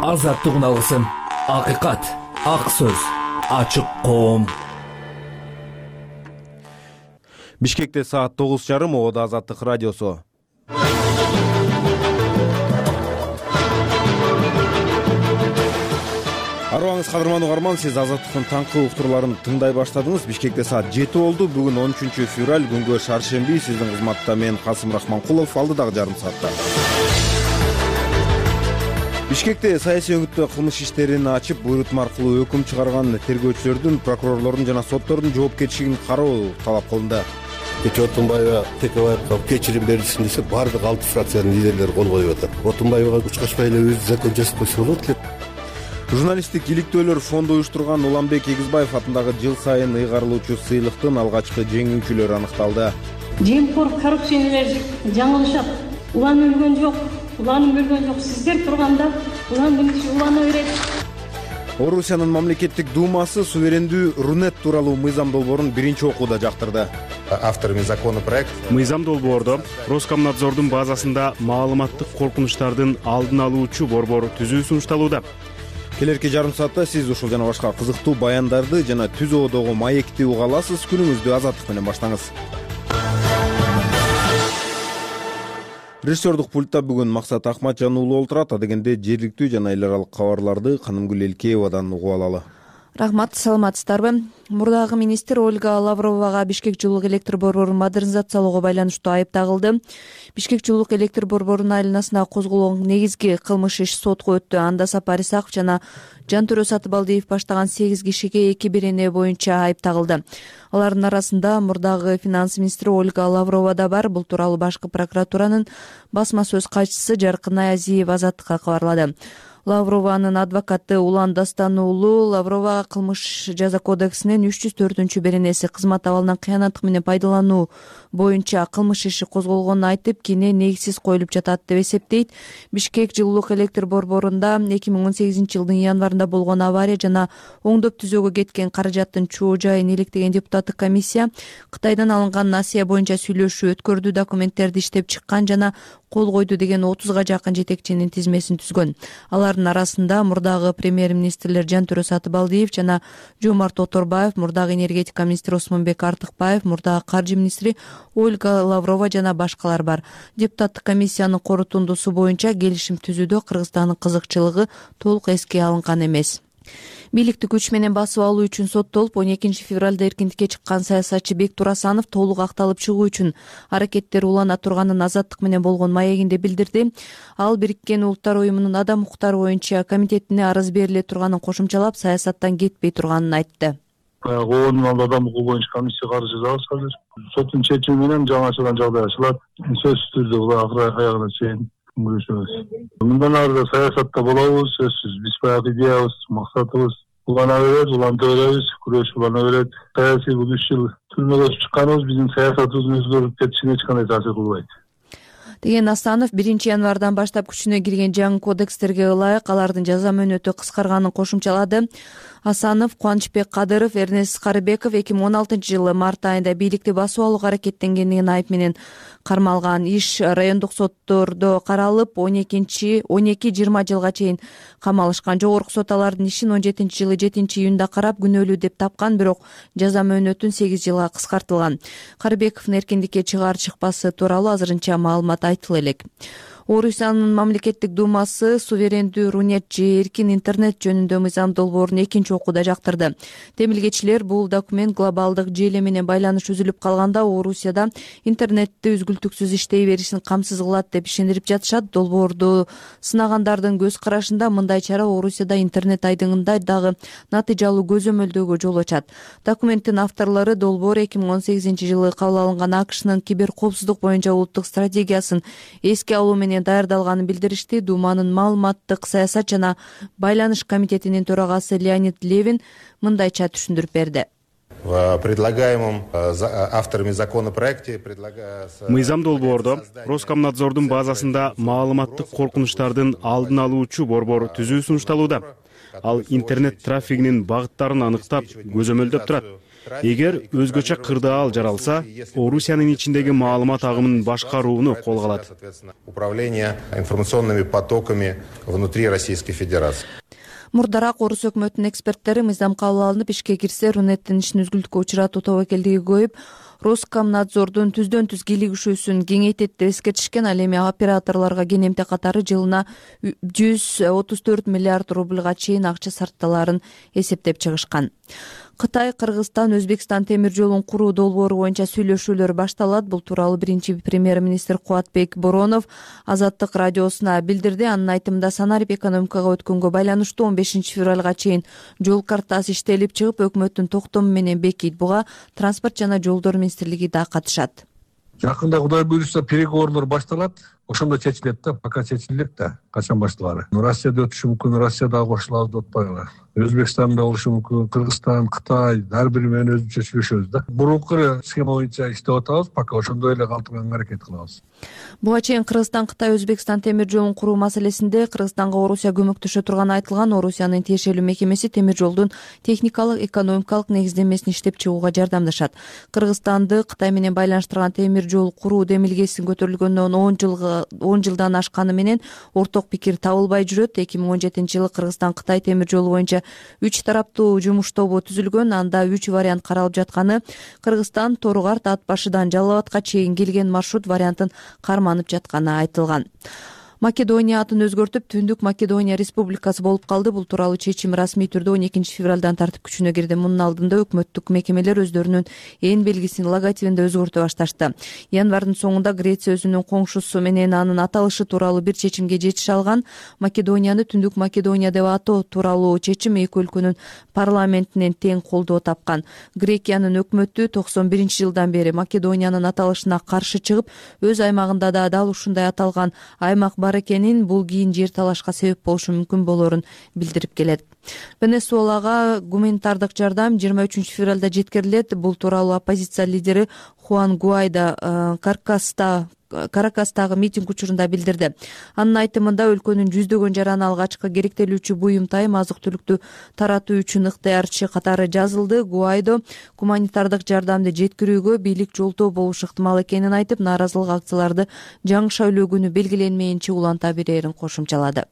Азаттык алгысым, акыйкат, ак сөз, ачык коом. Бишкекте саат 9:30, Ода Азаттык радиосу. Арыбаңыз кадырман угарман, сиз Азаттыктын таңкы уктурларын тыңдай баштадыңыз. Бишкекте саат 7 болду. Бүгүн 13 февраль, күнгө шаршемби. Сиздин кызматта мен Касым Рахманкулов, алдыдагы жарым саатта. Бишкекте саясий өңүттө кылмыш иштерин ачып, буйрутма аркылуу өкүм чыгарган тергөөчүлөрдүн, прокурорлордун жана соттордун жоопкерчилигин кароо талап кылынды. Кечээ Отунбаева Текебаевга кечирим берилсин десе, баардык 6 фракциянын лидерлери кол коюп атат. Отунбаевага учкачпай эле өзү закон жазып койсо болот эле. Журналисттик иликтөөлөр фонду уюштурган Уланбек Эгизбаев атындагы жыл сайын ыйгарылуучу сыйлыктын алгачкы жеңүүчүлөрү аныкталды. Жемкор коррупционерлер жаңылышат. Улан өлгөн жок, уланып өлгөн жок. Сиздер турганда улан улана берет. Орусиянын мамлекеттик думасы суверендүү Рунет тууралуу мыйзам долбоорун биринчи окууда жактырды. Авторами законопроект. Мыйзам долбоордо Роскомнадзордун базасында маалыматтык коркунучтардын алдын алуучу борбор түзүү сунушталууда. Келерки жарым саатта сиз ушул жана башка кызыктуу баяндарды жана түз оодогу маекти уга аласыз. Күнүңүздү азаттык менен баштаңыз. Режиссердук пультта бүгүн Максат Акматжан уулу олтурат. Адегенде жергиликтүү жана эл аралык кабарларды Канымгүл Элкеевадан угуп алалы. Рахмат, саламатсыздарбы? Мурдагы министр Ольга Лавровага Бишкек жылуулук электр борборун модернизациялоого байланыштуу айып тагылды. Бишкек жылуулук электр борборунун айланасына козголгон негизги кылмыш иш сотко өттү. Анда Сапар Исаков жана Жантөрө Сатыбалдиев баштаган 8 кишиге 2 берене боюнча айып тагылды. Алардын арасында мурдагы финанс министри Ольга Лаврова да бар. Бул тууралуу башкы прокуратуранын басма сөз катчысы Жаркынай Азиева Азаттыкка кабарлады. Лаврованын адвокаты Улан Дастан уулу Лавровага кылмыш жаза кодексинин 304 беренеси кызмат абалынан кыянаттык менен пайдалануу боюнча кылмыш иши козголгонун айтып, кийин негизсиз коюлуп жатат деп эсептейт. Бишкек жылуулук электр борборунда 2018 жылдын январында болгон авария жана оңдоп түзөөгө кеткен каражаттын чоо жайын иликтеген депутаттык комиссия Кытайдан алынган насыя боюнча сүйлөшүү өткөрдү, документтерди иштеп чыккан жана кол койду деген 30га жакын жетекчинин тизмесин түзгөн. Алардын арасында мурдагы премьер-министрлер Жантөрө Сатыбалдиев жана Жомарт Оторбаев, мурдагы энергетика министри Осмонбек Артыкбаев, мурдагы каржы министри Ольга Лаврова жана башкалар бар. Депутаттык комиссиянын корутундусу боюнча келишим түзүүдө Кыргызстандын кызыкчылыгы толук эске алынган эмес. Бийликти күч менен басып алуу үчүн соттолуп 12 февралда эркиндикке чыккан саясатчы Бектур Асанов толук акталып чыгуу үчүн аракеттер улана турганын Азаттык менен болгон маегинде билдирди. Ал Бириккен Улуттар уюмунун адам укуктары боюнча комитетине арыз бериле турганын кошумчалап, саясаттан кетпей турганын айтты. Коонун алды адам укугу боюнча комиссия каршы жабыз азыр. Соттун чечими менен жаңычылган жагдай ачылат. Сөзсүз түрдө була акыры аягына чейин күрөшөбүз. Мындан ары да саясатта болобуз, сөзсүз. Биз баягы идеябыз, максатыбыз улана берет, уланта беребиз, күрөш улана берет. Саясий бул 3 жыл түрмөгө чыкканыбыз биздин саясатыбыздын өзгөрүп кетишине эч кандай таасир кылбайт деген Асанов 1 январдан баштап күчүнө кирген жаңы кодекстерге ылайык алардын жаза мөөнөтү кыскарганын кошумчалады. Асанов, Кубанычбек Кадыров, Эрнест Карыбеков 2016 жылы март айында бийликти басып алууга аракеттенгендигин айып менен кармалган. Иш райондук соттордо каралып, 12-20 жылга чейин камалышкан. Жогорку сот алардын ишин 17 жылы 7 июнда карап, күнөөлүү деп тапкан, бирок жаза мөөнөтүн 8 жылга кыскартылган. Карыбековдун эркиндикке чыгаар-чыкпасы тууралуу азырынча маалымат айтыла элек. Орусиянын мамлекеттик думасы суверендүү Рунет же эркин интернет жөнүндө мыйзам долбоорун 2 окууда жактырды. Темилгечилер бул документ глобалдык желе менен байланыш үзүлүп калганда Орусияда интернетти үзгүлтүксүз иштей беришин камсыз кылат деп ишендирип жатышат. Долбоорду сынагандардын көз карашында мындай чара Орусияда интернет айдыңында дагы натыйжалуу көзөмөлдөөгө жол ачат. Документтин авторлору долбоор 2018 жылы кабыл алынган АКШнын кибер коопсуздук боюнча улуттук стратегиясын эске алуу менен даярдалганын билдиришти. Думанын маалыматтык саясат жана байланыш комитетинин төрагасы Леонид Левин мындайча түшүндүрүп берди. В предлагаемом авторами законопроекте мыйзам долбоордо Роскомнадзордун базасында маалыматтык коркунучтардын алдын алуучу борбор түзүү сунушталууда. Ал интернет трафигинин багыттарын аныктап, көзөмөлдөп турат. эгер өзгөчө кырдаал жаралса, Орусиянын ичиндеги маалымат агымын башкарууну колго алат. Управление информационными потоками внутри Российской Федерации. Мурдараак орус өкмөтүнүн эксперттери мыйзам кабыл алынып ишке кирсе, Рунеттин ишин үзгүлтүккө учуратуу тобокелдиги көбөйүп, Роскомнадзордун түздөн түз кийлигишүүсүн кеңейтет деп эскертишкен. Ал эми операторлорго кенемте катары жылына 134 миллиард рубльга чейин акча сарпталаарын эсептеп чыгышкан. Кытай, Кыргызстан, Өзбекстан темир жолун куруу долбоору боюнча сүйлөшүүлөр башталат. Бул тууралуу биринчи премьер-министр Кубатбек Боронов Азаттык радиосуна билдирди. Анын айтымында санарип экономикага өткөнгө байланыштуу 15 февралга чейин жол картасы иштелип чыгып, өкмөттүн токтому менен бекийт. Буга транспорт жана жолдор министрлиги да катышат. Жакында Кудай буйруса переговорлор башталат. Ошондо чечилет да, пока чечилет да, качан башталары. Россияда өтүшү мүмкүн, Россияда коштулабыз деп атпайлы. Өзбекстанда болушу мүмкүн, Кыргызстан, Кытай, ар бири менен өзүнчө сүйлөшөбүз да. Мурунку схема боюнча иштеп атабыз, пока ошондой эле калтырганга аракет кылабыз. Буга чейин Кыргызстан, Кытай, Өзбекстан темир жолун куруу маселесинде Кыргызстанга Орусия көмөктөшө турганы айтылган. Орусиянын тиешелүү мекемеси темир жолдун техникалык, экономикалык негиздемесин иштеп чыгууга жардамдашат. Кыргызстанды Кытай менен байланыштырган темир жол куруу демилгесин көтөрүлгөндөн 10 жылдан ашканы менен орток пикир табылбай жүрөт. 2017-жылы Кыргызстан-Кытай темир жолу боюнча 3 тараптуу жумуш тобу түзүлгөн. Анда 3 вариант каралып жатканы Кыргызстан Торугарт Ат башыдан Жалал Абадка чейин келген маршрут вариантын карманып жатканы айтылган. Македония атын өзгөртүп Түндүк Македония Республикасы болуп калды. Бул тууралуу чечим расмий түрдө 12 февралдан тартип күчүнө кирди. Мунун алдында өкмөттүк мекемелер өздөрүнүн эн белгисин, логотипин да өзгөртө башташты. Январдын соңунда Греция өзүнүн коңшусу менен анын аталышы тууралуу бир чечимге жетише алган. Македонияны Түндүк Македония деп атоо тууралуу чечим эки өлкөнүн парламентинен тең колдоо тапкан. Грекиянын өкмөтү 91-жылдан бери Македониянын аталышына каршы чыгып, өз аймагында да дал ушундай аталган аймак бар экенин, бул кийин жер талашка себеп болушу мүмкүн болоорун билдирип келет. Венесуэлага гуманитардык жардам 23 февралда жеткирилет. Бул тууралуу оппозиция лидери Хуан Гуайдо Каракастагы митинг учурунда билдирди. Анын айтымында өлкөнүн жүздөгөн жараны алгачкы керектелүүчү буюм тайым азык-түлүктү таратуу үчүн ыктыярчы катары жазылды. Гуайдо гуманитардык жардамды жеткирүүгө бийлик жолтоо болушу ыктымал экенин айтып, нааразылык акцияларды жаңы шайлоо күнү белгиленмейинче уланта берерин кошумчалады.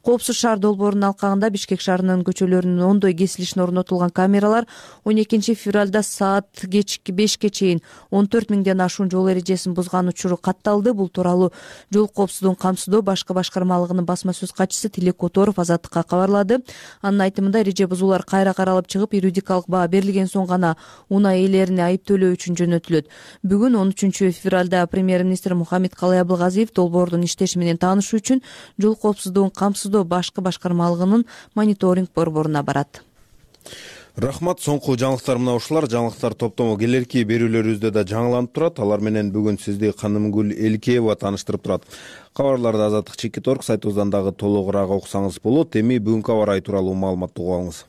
Коопсуз шаар долбоорунун алкагында Бишкек шаарынын көчөлөрүнүн оңдой кесилишине орнотулган камералар 12 февралда саат кечки 5ке чейин 14 миңден ашуун жол эрежесин бузган учуру катталды. Бул тууралуу жол коопсуздугун камсыздоо башкы башкармалыгынын басма сөз катчысы Тилек Которов Азаттыкка кабарлады. Анын айтымында эреже бузуулар кайра каралып чыгып, юридикалык баа берилген соң гана унаа ээлерине айып төлөө үчүн жөнөтүлөт. Бүгүн 13 февралда премьер-министр Мухаммед Калай Абылгазиев долбоордун иштеши менен таанышуу үчүн жол коопсуздугун камсыздоо башкы башкармалыгынын мониторинг борборуна барат. Рахмат. Соңку жаңылыктар мына ушулар. Жаңылыктар топтому келерки берүүлөрүбүздө да жаңыланып турат. Алар менен бүгүн сизди Канымгүл Элкеева тааныштырып турат. Кабарларды Азаттык Чекит.орг сайтыбыздан дагы толугураак окусаңыз болот. Эми бүгүнкү аба ырайы тууралуу маалыматты угуп алыңыз.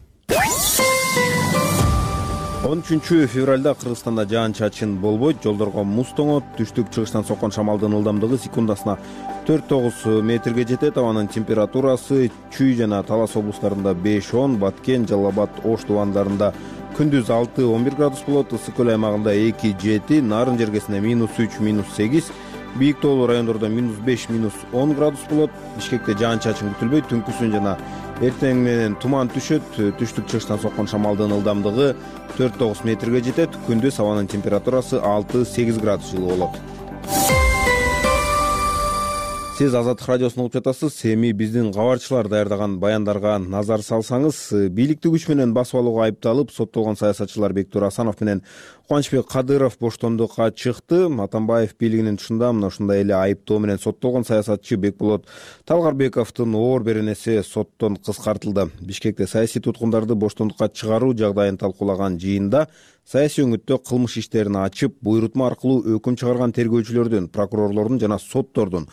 13 февралда Кыргызстанда жаан-чачын болбойт. Жолдорго муз тоңот. Түштүк-чыгыштан соккон шамалдын ылдамдыгы секундасына 4-9 метрге жетет. Абанын температурасы Чүй жана Талас облустарында 5-10, Баткен, Жалал Абад, Ош тубандарында күндүз 6-11 градус болот. Ысык көл аймагында 2-7, Нарын жергесинде -3, -8, бийик тоолуу райондордо -5, -10 градус болот. Бишкекте жаан-чачын күтүлбөйт. Түнкүсүн жана эртең менен туман түшөт. Түштүк-чыгыштан соккон шамалдын ылдамдыгы 4-9 метрге жетет. Күндүз абанын температурасы 6-8 градус жылы болот. Сиз Азаттык радиосун угуп жатасыз. Эми биздин кабарчылар даярдаган баяндарга назар салсаңыз, бийликти күч менен басып алууга айыпталып соттолгон саясатчылар Бектур Асанов менен Кубанычбек Кадыров боштондукка чыкты. Атамбаев бийлигинин тушунда мына ушундай эле айыптоо менен соттолгон саясатчы Бекболот Талгарбековдун оор беренеси соттон кыскартылды. Бишкекте саясий туткундарды боштондукка чыгаруу жагдайын талкуулаган жыйында саясий өңүттө кылмыш иштерин ачып, буйрутма аркылуу өкүм чыгарган тергөөчүлөрдүн, прокурорлордун жана соттордун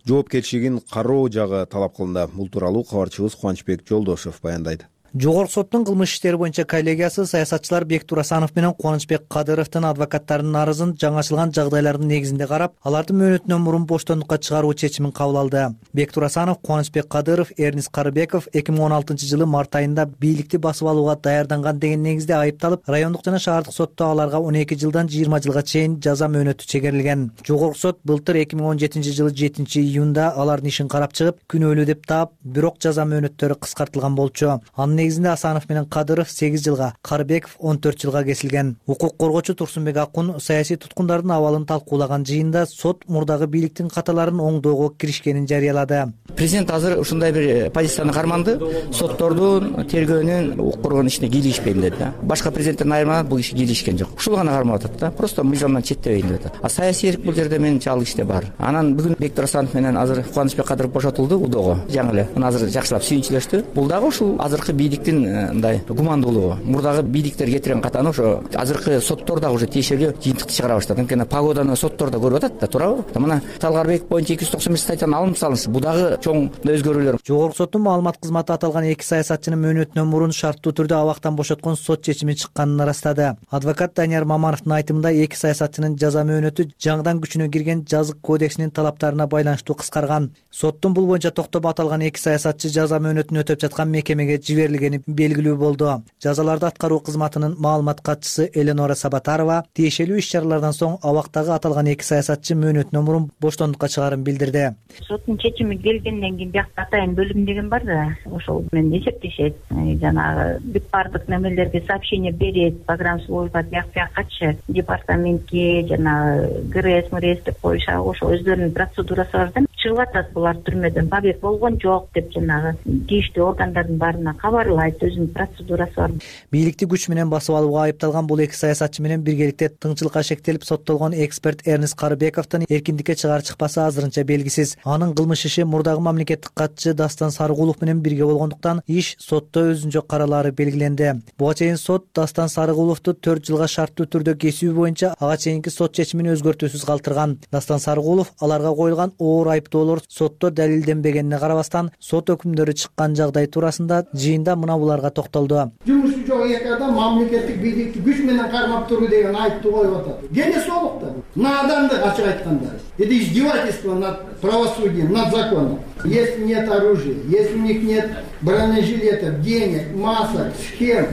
жоопкерчилигин кароо жагы талап кылынды. Бул тууралуу кабарчыбыз Кубанычбек Жолдошев баяндайт. Жогорку соттун кылмыш иштери боюнча коллегиясы саясатчылар Бектур Асанов менен Кубанычбек Кадыровдун адвокаттарынын арызын жаңычылган жагдайлардын негизинде карап, алардын мөөнөтүнөн мурун боштондукка чыгаруу чечимин кабыл алды. Бектур Асанов, Кубанычбек Кадыров, Эрнис Карыбеков 2016-жылы март айында бийликти басып алууга даярданган деген негизде айыпталып, райондук жана шаардык сотто аларга 12 жылдан 20 жылга чейин жаза мөөнөтү чегерилген. Жогорку сот былтыр 2017-жылы 7-июнда алардын ишин карап чыгып, күнөөлүү деп таап, бирок жаза мөөнөттөрү кыскартылган болчу. Анын негизинде Асанов менен Кадыров 8 жылга, Карыбеков 14 жылга кесилген. Укук коргоочу Турсунбек Акун саясий туткундардын абалын талкуулаган жыйында сот мурдагы бийликтин каталарын оңдоого киришкенин жарыялады. Президент азыр ушундай бир позицияны карманды. Соттордун, тергөөнүн укук коргоонун ишине кийлигишпейм деди да. Башка президенттен айырмаланып бул киши кийлигишкен жок. Ушул гана кармап атат да. Просто мыйзамдан четтебейин деп атат. А саясий эрк бул жерде менин алуу иште бар. Анан бүгүн Бектур Асанов менен азыр Кубанычбек Кадыров бошотулду удоого. Жаңы эле. Мына азыр жакшылап сүйүнчүлөштү. Бул дагы ушул азыркы бийликтин мындай гумандуулугу. Мурдагы бийликтер кетирген катаны ошо азыркы соттор дагы уже тиешелүү жыйынтыкты чыгара баштады. Анткени погоданы соттор да көрүп атат да, туурабы? Мына Талгарбек боюнча 295 статьяны алынып салынышы. Бул дагы чоң өзгөрүүлөр. Жогорку соттун маалымат кызматы аталган эки саясатчынын мөөнөтүнөн мурун шарттуу түрдө абактан бошоткон сот чечими чыкканын ырастады. Адвокат Данияр Мамановдун айтымында эки саясатчынын жаза мөөнөтү жаңыдан күчүнө кирген жазык кодексинин талаптарына байланыштуу кыскарган. Соттун бул боюнча токтомо аталган эки саясатчы жаза мөөнөтүн өтөп жаткан мекемеге жиберилгени белгилүү болду. Жазаларды аткаруу кызматынын маалымат катчысы Эленора Сабатарова тиешелүү иш-чаралардан соң абактагы аталган эки саясатчы мөөнөтүнөн мурун боштондукка чыгаарын билдирди. Соттун чечими келгенден кийин биякта атайын бөлүм деген бар да, ошол менен эсептешет. Жанагы бүт баардык немелерге сообщение берет, программа служба биякчы департаментке, жанагы ГРС деп коюшат, ошо өздөрүнүн процедурасы бар да. Чыгып атат булар түрмөдөн, побег болгон жок деп жанагы тийиштүү органдардын баарына кабарлайт, өзүнүн процедурасы бар. Бийликти күч менен басып алууга айыпталган бул эки саясатчы менен биргеликте тыңчылыкка шектелип соттолгон эксперт Эрнис Карыбековдун эркиндикке чыгаар чыкпасы азырынча белгисиз. Анын кылмыш иши мурдагы мамлекеттик катчы Дастан Сарыгулов менен бирге болгондуктан иш сотто өзүнчө каралаары белгиленди. Буга чейин сот Дастан Сарыгуловду 4 жылга шарттуу түрдө кесүү боюнча ага чейинки сот чечимин өзгөртүүсүз калтырган. Дастан Сарыгулов аларга коюлган оор айыптоолор сотто далилденбегенине карабастан сот өкүмдөрү чыккан жагдай туурасында жыйында мына буларга токтолду. Жумушу жок эки адам мамлекеттик бийликти күч менен кармап туруу деген айыптуу коюп атат. Генесолукта наадандык ачык айтканда. Это издевательство над правосудием, над законом. Если нет оружия, если у них нет бронежилетов, денег, масок, схем,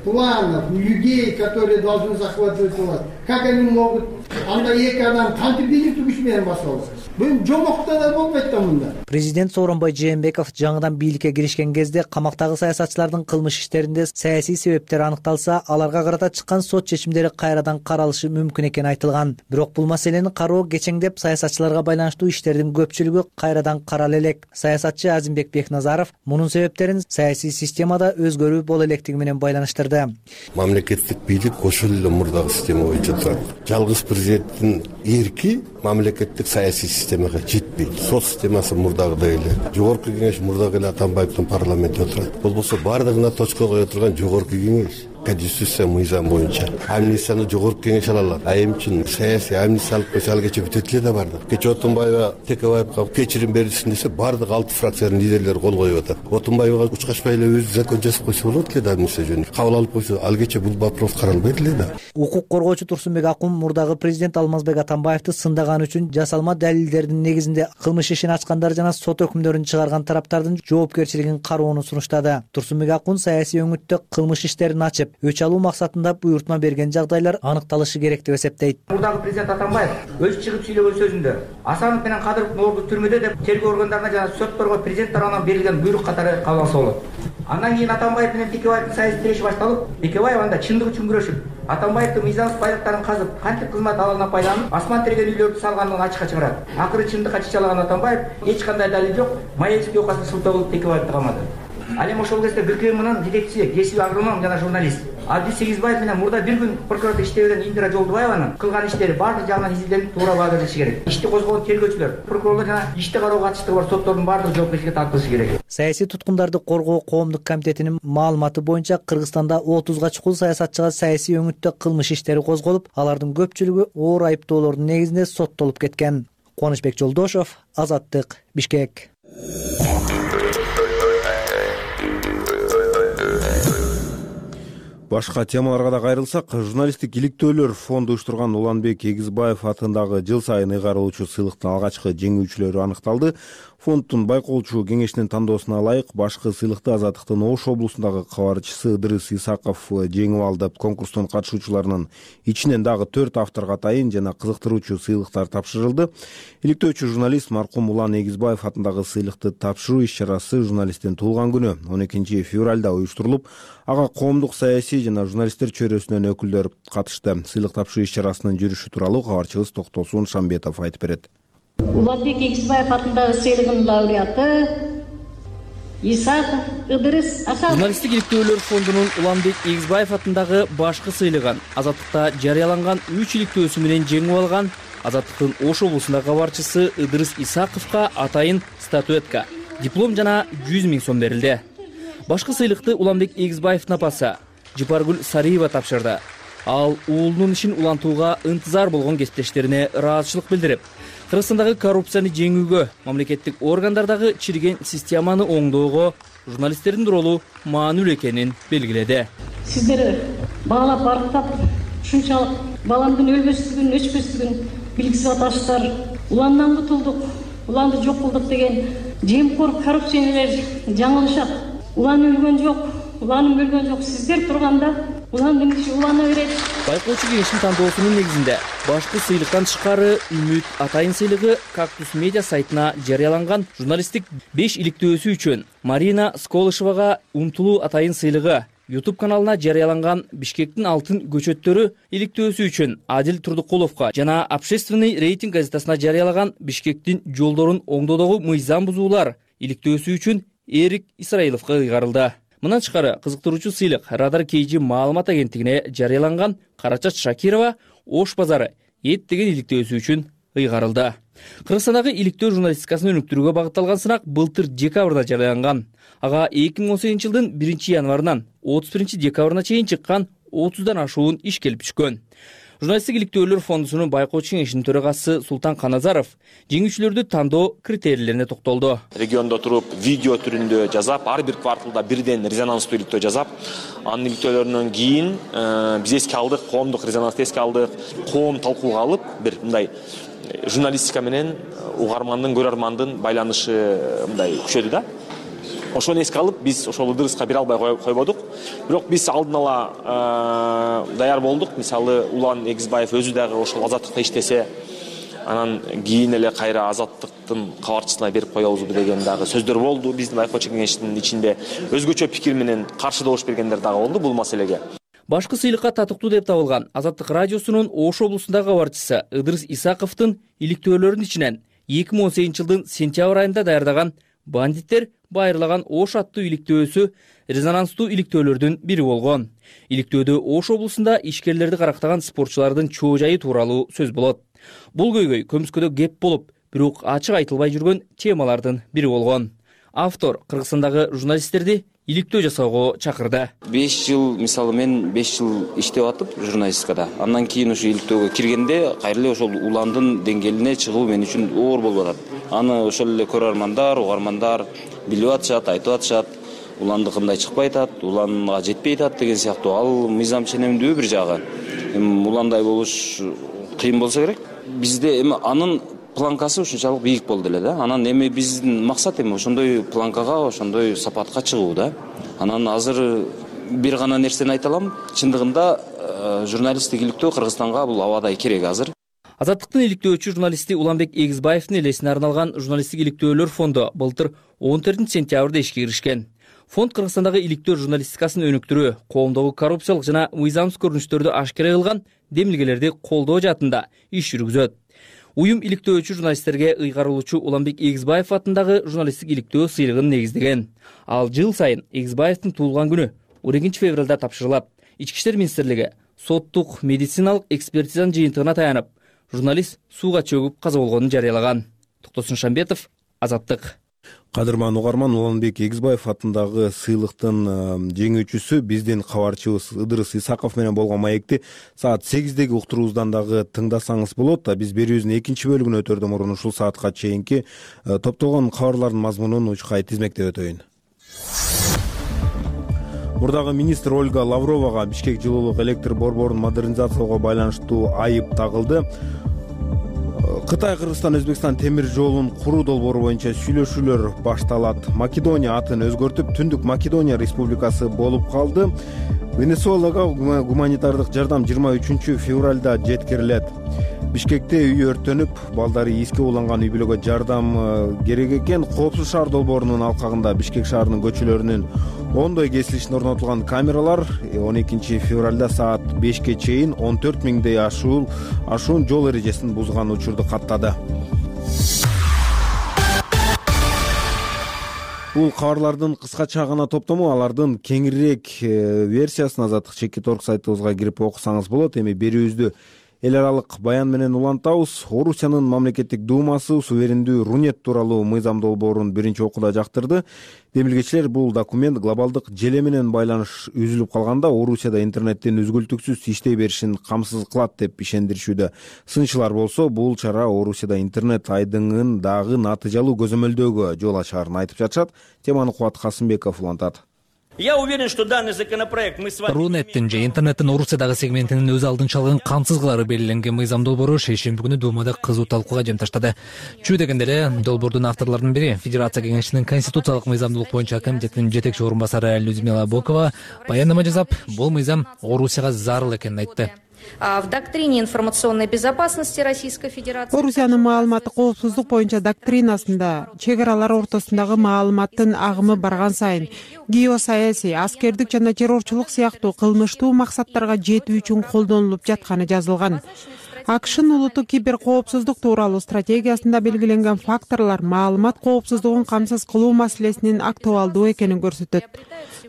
планов, людей, которые должны захватывать власть, как они могут? Анда эки адам кантип бийликти күч менен басып алат? Бул жомокто да болбойт да мында. Президент Сооронбай Жээнбеков жаңыдан бийликке киришкен кезде камактагы саясатчылардын кылмыш иштеринде саясий себептер аныкталса, аларга карата чыккан сот чечимдери кайрадан каралышы мүмкүн экени айтылган. Бирок бул маселени кароо кечеңдеп, саясатчыларга байланыштуу иштердин көпчүлүгү кайрадан карала элек. Саясатчы Азимбек Бекназаров мунун себептерин саясий системада өзгөрүү боло электиги менен байланыштырды. Мамлекеттик бийлик ошол эле мурдагы система боюнча турат. Жалгыз президенттин эрки мамлекеттик саясий системага жетпейт. Сот системасы мурдагыдай эле. Жогорку кеңеш мурдагы эле Атамбаевдин парламентте отурат. Болбосо баардыгына точка кое турган жогорку кеңеш. Конституция мыйзам боюнча амнистияны жогорку кеңеш ала алат. Айымчын саясий амнистия алып койсо ал кече бүтөт эле да бардык. Кече Отунбаева Текебаевга кечирим берилсин десе, баардык 6 фракциянын лидерлери кол коюп атат. Отунбаевга учкачпай эле өзү закон жазып койсо болот эле да амнистия жөнүндө. Кабыл алып койсо, ал кече бул вопрос каралбайт эле да. Укук коргоочу Турсунбек Акун мурдагы президент Алмазбек Атамбаевди сындаган үчүн жасалма далилдердин негизинде кылмыш ишин ачкандар жана сот өкүмдөрүн чыгарган тараптардын жоопкерчилигин кароону сунуштады. Турсунбек Акун саясий өңүттө кылмыш иштерин ачып, өч алуу максатында буйртма берген жагдайлар аныкталышы керек деп эсептейт. Мурдагы президент Атамбаев өзү чыгып сүйлөгөн сөзүндө Асанов менен Кадыровдун орду түрмөдө деп тергөө органдарына жана сотторго президент тарабынан берилген буйрук катары кабыл алса болот. Андан кийин Атамбаев менен Текебаевдин саясий тиреши башталып, Текебаев анда чындык үчүн күрөшүп, Атамбаевдин мыйзамсыз байлыктарын казып, кантип кызмат алалына пайдаланып, асман тиреген үйлөрдү салгандыгын ачыкка чыгарат. Акыры чындыкка чычалаган Атамбаев эч кандай далил жок, Маевский окасына сылтоо кылып Текебаевди камады. Ал эми ошол кезде ГКМнын жетекчиси, кесип агроном жана журналист Абдис Сегизбаев менен мурда бир күн прокурордо иштебеген Индира Жолдубаеванын кылган иштери баардык жагынан изилденип туура баа берилиши керек. Ишти козгогон тергөөчүлөр, прокурорлор жана ишти кароого катыштыгы бар соттордун баардык жоопкерчиликке тартылышы керек. Саясий туткундарды коргоо коомдук комитетинин маалыматы боюнча Кыргызстанда 30га чукул саясатчыга саясий өңүттө кылмыш иштери козголуп, алардын көпчүлүгү оор айыптоолордун негизинде соттолуп кеткен. Кубанычбек Жолдошов, Азаттык, Бишкек. Башка темаларга да кайрылсак, журналисттик иликтөөлөр фонду уюштурган Уланбек Эгизбаев атындагы жыл сайын ыйгарылуучу сыйлыктын алгачкы жеңүүчүлөрү аныкталды. Фонддун байкоочу кеңешинин тандоосуна ылайык башкы сыйлыкты Азаттыктын Ош облусундагы кабарчысы Ыдырыс Исаков жеңип алды. Конкурстун катышуучуларынын ичинен дагы 4 авторго атайын жана кызыктыруучу сыйлыктар тапшырылды. Иликтөөчү журналист маркум Улан Эгизбаев атындагы сыйлыкты тапшыруу иш-чарасы журналисттин туулган күнү 12 февралда уюштурулуп, ага коомдук саясий жана журналисттер чөйрөсүнөн өкүлдөр катышты. Сыйлык тапшыруу иш-чарасынын жүрүшү тууралуу кабарчыбыз Токтосун Шамбетов айтып берет. Уланбек Эгизбаев атындагы сыйлыгынын лауреаты Исаков Ыдырыс Аса. Журналисттик иликтөөлөр фондунун Уланбек Эгизбаев атындагы башкы сыйлыгын Азаттыкта жарыяланган 3 иликтөөсү менен жеңип алган Азаттыктын Ош облусундагы кабарчысы Ыдырыс Исаковго атайын статуэтка, диплом жана 100 000 сом берилди. Башкы сыйлыкты Уланбек Эгизбаевдин апасы Жипаргүл Сариева тапшырды. Ал уулунун ишин улантууга ынтызар болгон кесиптештерине ыраазычылык билдирип, Кыргызстандагы коррупцияны жеңүүгө, мамлекеттик органдардагы чирген системаны оңдоого журналисттердин ролу маанилүү экенин белгиледи. Сиздер баалап барктап, ушунчалык баламдын өлбөстүгүн, өчпөстүгүн билгизип атасыздар. Уландан кутулдук, уланды жок кылдык деген жемкор коррупционерлер жаңылышат. Улан өлгөн жок, уланын өлгөн жок. Сиздер турганда уландын иши улана берет. Байкоочу кеңештин тандоосунун негизинде башкы сыйлыктан тышкары Үмүт атайын сыйлыгы Кактус медиа сайтына жарыяланган журналисттик 5 иликтөөсү үчүн, Марина Сколышевага Умтулуу атайын сыйлыгы YouTube каналына жарыяланган Бишкектин алтын көчөттөрү иликтөөсү үчүн Адил Турдукуловго жана Общественный рейтинг газетасына жарыялаган Бишкектин жолдорун оңдоодогу мыйзам бузуулар иликтөөсү үчүн Эрик Исраиловго ыйгарылды. Мындан тышкары кызыктыруучу сыйлык Радар KG маалымат агенттигине жарыяланган Карачат Шакирова Ош базары эт деген иликтөөсү үчүн ыйгарылды. Кыргызстандагы иликтөө журналистикасын өнүктүрүүгө багытталган сынак былтыр декабрда жарыяланган. Ага 2018 жылдын 1 январынан 31 декабрына чейин чыккан 30дан ашуун иш келип түшкөн. Журналисттик иликтөөлөр фондусунун байкоочу кеңешинин төрагасы Султан Каназаров жеңүүчүлөрдү тандоо критерийлерине токтолду. Региондо туруп, видео түрүндө жазап, ар бир кварталда бирден резонанстуу иликтөө жазап, анын иликтөөлөрүнөн кийин биз эске алдык, коомдук резонансты эске алдык, коом талкууга алып, бир мындай журналистика менен угармандын, көрөрмандын байланышы мындай күчөдү да. Ошону эске алып, биз ошол Ыдырыска бере албай койбодук. Бирок биз алдын ала даяр болдук. Мисалы, Улан Эгизбаев өзү дагы ошол Азаттыкта иштесе, анан кийин эле кайра Азаттыктын кабарчысына берип коебузбу деген дагы сөздөр болду. Биздин байкоочу кеңештин ичинде өзгөчө пикир менен каршы добуш бергендер дагы болду бул маселеге. Башкы сыйлыкка татыктуу деп табылган Азаттык радиосунун Ош облусундагы кабарчысы Ыдырыс Исаковдун иликтөөлөрүнүн ичинен 2018 жылдын сентябрь айында даярдаган Бандиттер байырлаган Ош аттуу иликтөөсү резонанстуу иликтөөлөрдүн бири болгон. Иликтөөдө Ош облусунда ишкерлерди карактаган спортчулардын чоо жайы тууралуу сөз болот. Бул көйгөй көмүскөдө кеп болуп, бирок ачык айтылбай жүргөн темалардын бири болгон. Автор Кыргызстандагы журналисттерди иликтөө жасоого чакырды. 5 жыл, мисалы мен 5 жыл иштеп атып журналистикада. Андан кийин ушу иликтөөгө киргенде кайра эле ошол уландын деңгээлине чыгуу мен үчүн оор болуп атат. Аны ошол эле көрөрмандар, угармандар билип атышат, айтып атышат. Уланды кандай чыкпай атат, уланга жетпей атат деген сыяктуу. Ал мыйзам ченемдүү бир жагы. Уландай болуш кыйын болсо керек. Бизде эми анын планкасы ушунчалык бийик болду эле да. Анан эми биздин максат эми ошондой планкага, ошондой сапатка чыгуу да. Анан азыр бир гана нерсени айта алам. Чындыгында журналисттик иликтөө Кыргызстанга бул абадай керек азыр. Азаттыктын иликтөөчү журналисти Уланбек Эгизбаевдин элесине арналган журналисттик иликтөөлөр фонду былтыр 14 сентябрда ишке киришкен. Фонд Кыргызстандагы иликтөө журналистикасын өнүктүрүү, коомдогу коррупциялык жана мыйзамсыз көрүнүштөрдү ашкара кылган демилгелерди колдоо жаатында иш жүргүзөт. Уюм иликтөөчү журналисттерге ыйгарылуучу Уланбек Эгизбаев атындагы журналисттик иликтөө сыйлыгын негиздеген. Ал жыл сайын Эгизбаевдин туулган күнү 12 февралда тапшырылат. Ички иштер министрлиги соттук медициналык экспертизанын жыйынтыгына таянып, журналист сууга чөгүп каза болгонун жарыялаган. Токтосун Шамбетов, Азаттык. Кадырман угарман, Уланбек Эгизбаев атындагы сыйлыктын жеңүүчүсү биздин кабарчыбыз Ыдырыс Исаков менен болгон маекти саат 8деги уктуруубуздан дагы тыңдасаңыз болот. Биз берүүбүздүн экинчи бөлүгүнө өтөрдөн мурун ушул саатка чейинки топтолгон кабарлардын мазмунун учкай тизмектеп өтөйүн. Мурдагы министр Ольга Лавровага Бишкек жылуулук электр борборун модернизациялоого байланыштуу айып тагылды. Кытай, Кыргызстан, Өзбекстан темир жолун куруу долбоору боюнча сүйлөшүүлөр башталат. Македония атын өзгөртүп, Түндүк Македония республикасы болуп калды. Венесуэлага гуманитардык жардам 23 февралда жеткирилет. Бишкекте үй өрттөнүп, балдары эске уланган үй бүлөгө жардам керек экен. Коопсуз шаар долбоорунун алкагында Бишкек шаарынын көчөлөрүнүн ондой кесилишине орнотулган камералар 12 февралда саат 5ке чейин 14 миңдей ашуун жол эрежесин бузган учурду каттады. Бул кабарлардын кыскача гана топтому, алардын кеңирээк версиясын Азаттык Чекит.орг сайтыбызга кирип окусаңыз болот. Эми берүүбүздү эл аралык баян менен улантабыз. Орусиянын мамлекеттик думасы суверендүү Рунет тууралуу мыйзам долбоорун биринчи окууда жактырды. Демилгечилер бул документ глобалдык желе менен байланыш үзүлүп калганда Орусияда интернеттин үзгүлтүксүз иштей беришин камсыз кылат деп ишендиришүүдө. Сынчылар болсо бул чара Орусияда интернет айдыңын дагы натыйжалуу көзөмөлдөөгө жол ачаарын айтып жатышат. Теманы Кубат Касымбеков улантат. Я уверен, что данный законопроект мы с вами... Рунеттин же интернеттин Орусиядагы сегментинин өз алдынча алган камсыз кылары белгиленген мыйзам долбоору шейшемби күнү Думада кызуу талкууга жем таштады. Чүй дегенде эле долбоордун авторлорунун бири Федерация кеңешинин конституциялык мыйзамдуулук боюнча комитетинин жетекчи орун басары Людмила Бокова баяндама жасап, бул мыйзам Орусияга зарыл экенин айтты. В доктрине информационной безопасности Российской Федерации Орусиянын маалыматтык коопсуздук боюнча доктринасында чек аралар ортосундагы маалыматтын агымы барган сайын геосаясий, аскердик жана террорчулук сыяктуу кылмыштуу максаттарга жетүү үчүн колдонулуп жатканы жазылган. АКШнын улуттук кибер коопсуздук тууралуу стратегиясында белгиленген факторлор маалымат коопсуздугун камсыз кылуу маселесинин актуалдуу экенин көрсөтөт.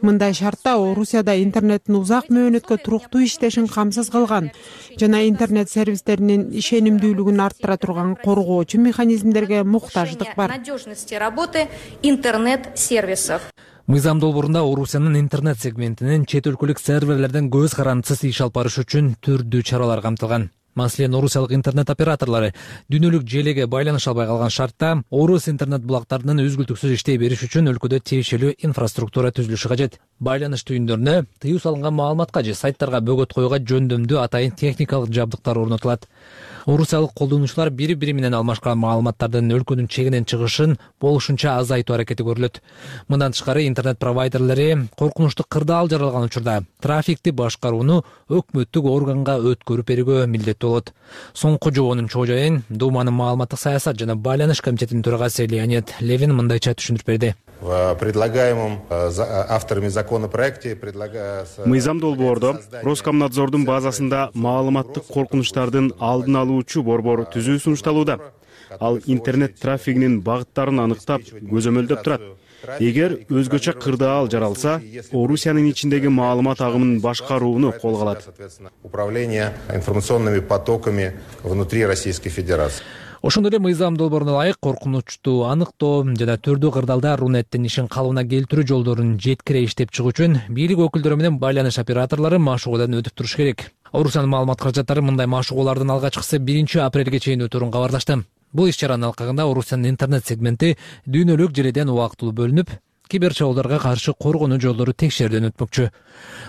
Мындай шартта Орусияда интернеттин узак мөөнөткө туруктуу иштешин камсыз кылган жана интернет сервистеринин ишенимдүүлүгүн арттыра турган коргоочу механизмдерге муктаждык бар. Надежности работы интернет-сервисов. Мыйзам долбоорунда Орусиянын интернет сегментинин чет өлкөлүк серверлерден көз карандысыз иш алып барыш үчүн түрдүү чаралар камтылган. Маселен, орусиялык интернет операторлору дүйнөлүк желеге байланыша албай калган шартта орус интернет булактарынын үзгүлтүксүз иштей бериш үчүн өлкөдө тиешелүү инфраструктура түзүлүшү кажет. Байланыш түйүндөрүнө тыюу салынган маалыматка же сайттарга бөгөт коюуга жөндөмдүү атайын техникалык жабдыктар орнотулат. Орусиялык колдонуучулар бири-бири менен алмашкан маалыматтардын өлкөнүн чегинен чыгышын болушунча азайтуу аракети көрүлөт. Мындан тышкары интернет провайдерлери коркунучтуу кырдаал жаралган учурда трафикти башкарууну өкмөттүк органга өткөрүп берүүгө милдеттүү болот. Соңку жобонун чоо жайын Думанын маалыматтык саясат жана байланыш комитетинин төрагасы Леонид Левин мындайча түшүндүрүп берди. В предлагаемом авторами законопроекте предлагается... Мыйзам долбоордо Роскомнадзордун базасында маалыматтык коркунучтардын алдын алуучу борбор түзүү сунушталууда. Ал интернет трафигинин багыттарын аныктап, көзөмөлдөп турат. Эгер өзгөчө кырдаал жаралса, Орусиянын ичиндеги маалымат агымын башкарууну колго алат. Управление информационными потоками внутри Российской Федерации. Ошондой эле мыйзам долбооруна ылайык коркунучту аныктоо жана түрдүү кырдаалда Рунеттин ишин калыбына келтирүү жолдорун жеткире иштеп чыгуу үчүн бийлик өкүлдөрү менен байланыш операторлору машыгуудан өтүп туруш керек. Орусиянын маалымат каражаттары мындай машыгуулардын алгачкысы 1 апрелге чейин өтөрүн кабарлашты. Бул иш-чаранын алкагында Орусиянын интернет сегменти дүйнөлүк желеден убактылуу бөлүнүп, кибер чабуулдарга каршы коргонуу жолдору текшерүүдөн өтмөкчү.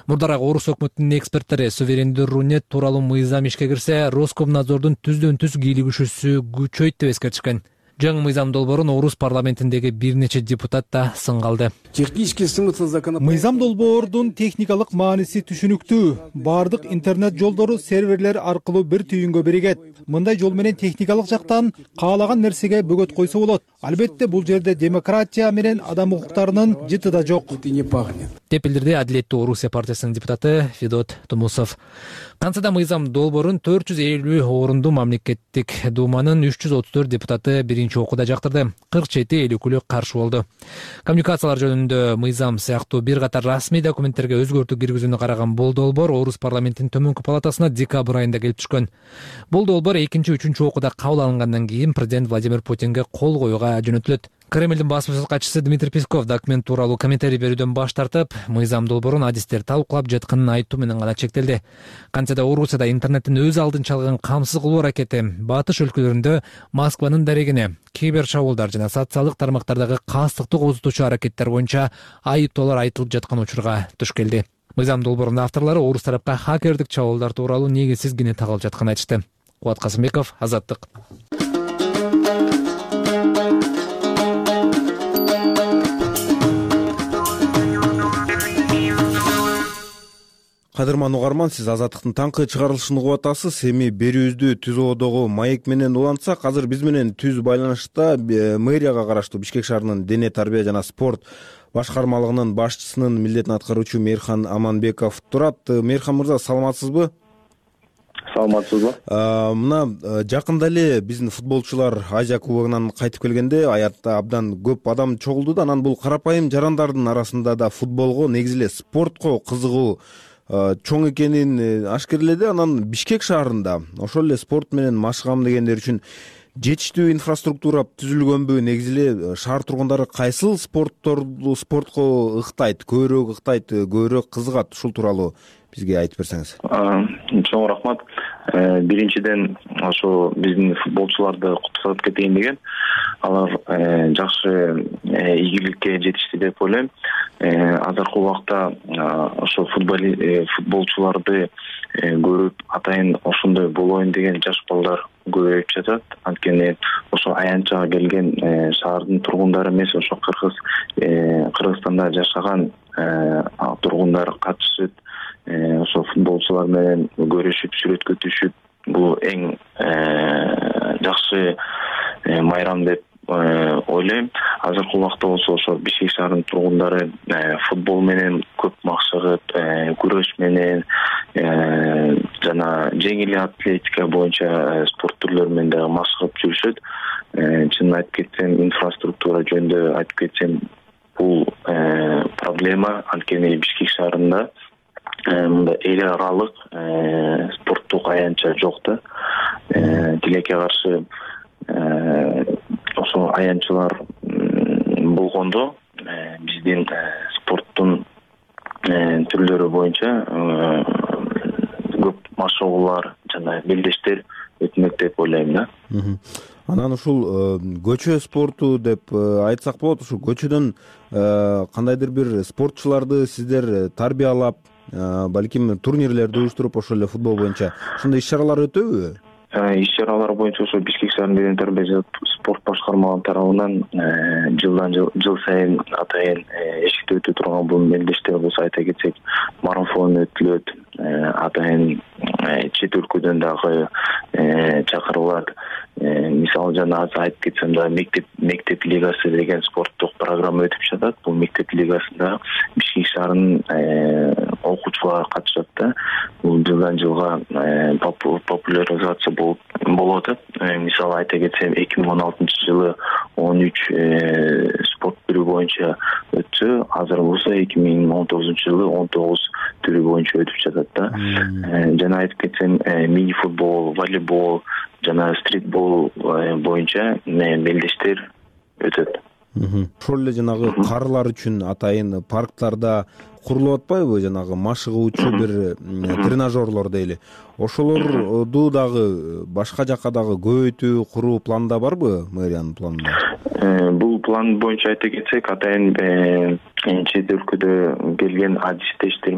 Мурдараак орус өкмөтүнүн эксперттери суверендүү Рунет тууралуу мыйзам ишке кирсе, Роскомнадзордун түздөн-түз кийлигишүүсү күчөйт деп эскертишкен. Жаңы мыйзам долбоорун орус парламентиндеги бир нече депутат да сынга алды. Мыйзам долбоордун техникалык мааниси түшүнүктүү. Бардык интернет жолдору серверлер аркылуу бир түйүнгө биригет. Мындай жол менен техникалык жактан каалаган нерсеге бөгөт койсо болот. Албетте бул жерде демократия менен адам укуктарынын жыты да жок. Деп билдирди Адилеттүү Орусия партиясынын депутаты Федот Тумусов. Кантса мыйзам долбоорун 450 орунду мамлекеттик Думанын 334 депутаты биринчи окууда жактырды. 47 өкүлү каршы болду. Коммуникациялар жөнүндө мыйзам сыяктуу бир катар расмий документтерге өзгөртүү киргизүүнү караган бул долбоор орус парламентинин төмөнкү палатасына декабрь айында келип түшкөн. Бул долбоор 2-3 окууда кабыл алынгандан кийин президент Владимир Путинге кол коюуга жөнөтүлөт. Кремлдин басмачыл катчысы Дмитрий Песков документ тууралуу комментарий берүүдөн баш тартып, мыйзам долбоорун адистер талкуулап жатканын айтуу менен гана чектелди. Кантсе да Орусияда интернеттин өз алдын чалган камсыз кылуу аракети батыш өлкөлөрүндө Москванын дарегине, кибер чабуулдар жана социалдык тармактардагы кастыкты козутуучу аракеттер боюнча айыптоолор айтылып жаткан учурга туш келди. Мыйзам долбоорунун авторлору орус тарапка хакердик чабуулдар тууралуу негизсиз кини тагылып жатканын айтышты. Кубат Касымбеков, Азаттык. Кадырман угарман, сиз Азаттыктын таңкы чыгарылышын угуп атасыз. Эми берүүбүздү түзүүдөгү маек менен улантсак, азыр биз менен түз байланышта мэрияга караштуу Бишкек шаарынын дене тарбия жана спорт башкармалыгынын башчысынын милдетин аткаруучу Мээрхан Аманбеков турат. Мээрхан мырза, саламатсызбы? Саламатсызбы? Мына жакында эле биздин футболчулар Азия кубогунан кайтып келгенде аятта абдан көп адам чогулду да, анан бул карапайым жарандардын арасында да футболго, негизи эле спортко кызыгуу чоң экенин ашкерледи. Анан Бишкек шаарында ошол эле спорт менен машыгам дегендер үчүн жетиштүү инфраструктура түзүлгөнбү? Негизи эле шаар тургундары кайсыл спортко ыктайт, көбүрөөк ыктайт, көбүрөөк кызыгат? Ушул тууралуу бизге айтып берсеңиз. Чоң рахмат. Биринчиден ошо биздин футболчуларды куттуктап кетейин деген. Алар жакшы ийгиликке жетишти деп ойлойм. Азыркы убакта ошо футболчуларды көрүп, атайын ошондой болоюн деген жаш балдар көбөйүп жатат. Анткени ошо аянтчага келген шаардын тургундары эмес, ошо Кыргызстанда жашаган тургундар катышып, ошо футболчулар менен көрүшүп, сүрөткө түшүп, бул эң жакшы майрам деп ойлойм. Азыркы убакта болсо ошо Бишкек шаарынын тургундары футбол менен көп максагып, күрөш менен жана жеңил атлетика боюнча спорт түрлөрү менен дагы машыгып жүрүшөт. Чынын айтып кетсем, инфраструктура жөнүндө айтып кетсем, бул проблема. Анткени Бишкек шаарында мындай эл аралык спорттук аянтча жок да. Тилекке каршы ошо аянтчылар болгондо биздин спорттун түрлөрү боюнча көп машыгуулар жана белдештер өтмөк деп ойлойм да. Анан ушул көчө спорту деп айтсак болот. Ушул көчөдөн кандайдыр бир спортчуларды сиздер тарбиялап, балким турнирлерди уюштуруп, ошол эле футбол боюнча ушундай иш-чаралар өтөбү? Иш-чаралар боюнча ошо Бишкек шаарынын дене тарбия спорт башкармалыгы тарабынан жыл сайын атайын эшикте өтө турган бул мелдештер болсо, айта кетсек, марафон өтүлөт. Атайын чет өлкөдөн дагы чакырылат. Мисалы жана азыр айтып кетсем да, мектеп лигасы деген спорттук программа өтүп жатат. Бул мектеп лигасында Бишкек шаарынын окуучулары катышат да. Бул жылдан жылга популяризация болуп атат. Мисалы айта кетсем, 2016 жылы 13 спорт түрү боюнча өтсө, азыр болсо 2019 жылы 19 түрү боюнча өтүп жатат да. Жана айтып кетсем, мини футбол, волейбол жана стритбол боюнча мелдештер өтөт. Ошол эле жанагы карылар үчүн атайын парктарда курулуп атпайбы, жанагы машыгуучу бир тренажерлор дейли. Ошолорду дагы башка жакка дагы көбөйтүү куруу планда барбы, мэриянын планында? Бул план боюнча айта кетсек, атайын чет өлкөдө келген адистер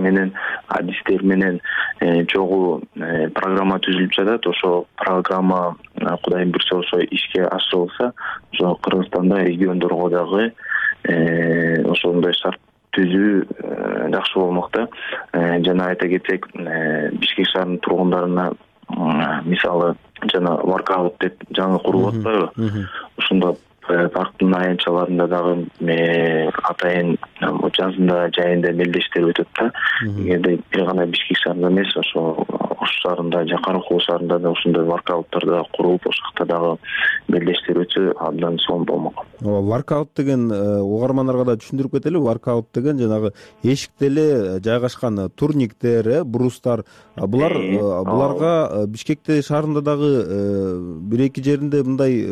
менен чогуу программа түзүлүп жатат. Ошо программа Кудайым буйрса ошо ишке ашырылса, ошо Кыргызстанда региондорго дагы ошондой шарт түзүү жакшы болмок да. Жана айта кетсек, Бишкек шаарынын тургундарына мисалы жана воркаут деп жаңы курулуп атпайбы? Ошондо парктын аянтчаларында дагы атайын жазында, жайында мелдештер өтөт да. Эгерде бир гана Бишкек шаарында эмес, ошо Ош шаарында, Каракол шаарында да ушундай воркауттар да курулуп, ошол жакта дагы белдештер өтсө абдан сонун болмок. Воркаут деген угармандарга да түшүндүрүп кетели. Воркаут деген жанагы эшикте эле жайгашкан турниктер, брустар. Буларга Бишкекте шаарында дагы бир-эки жеринде мындай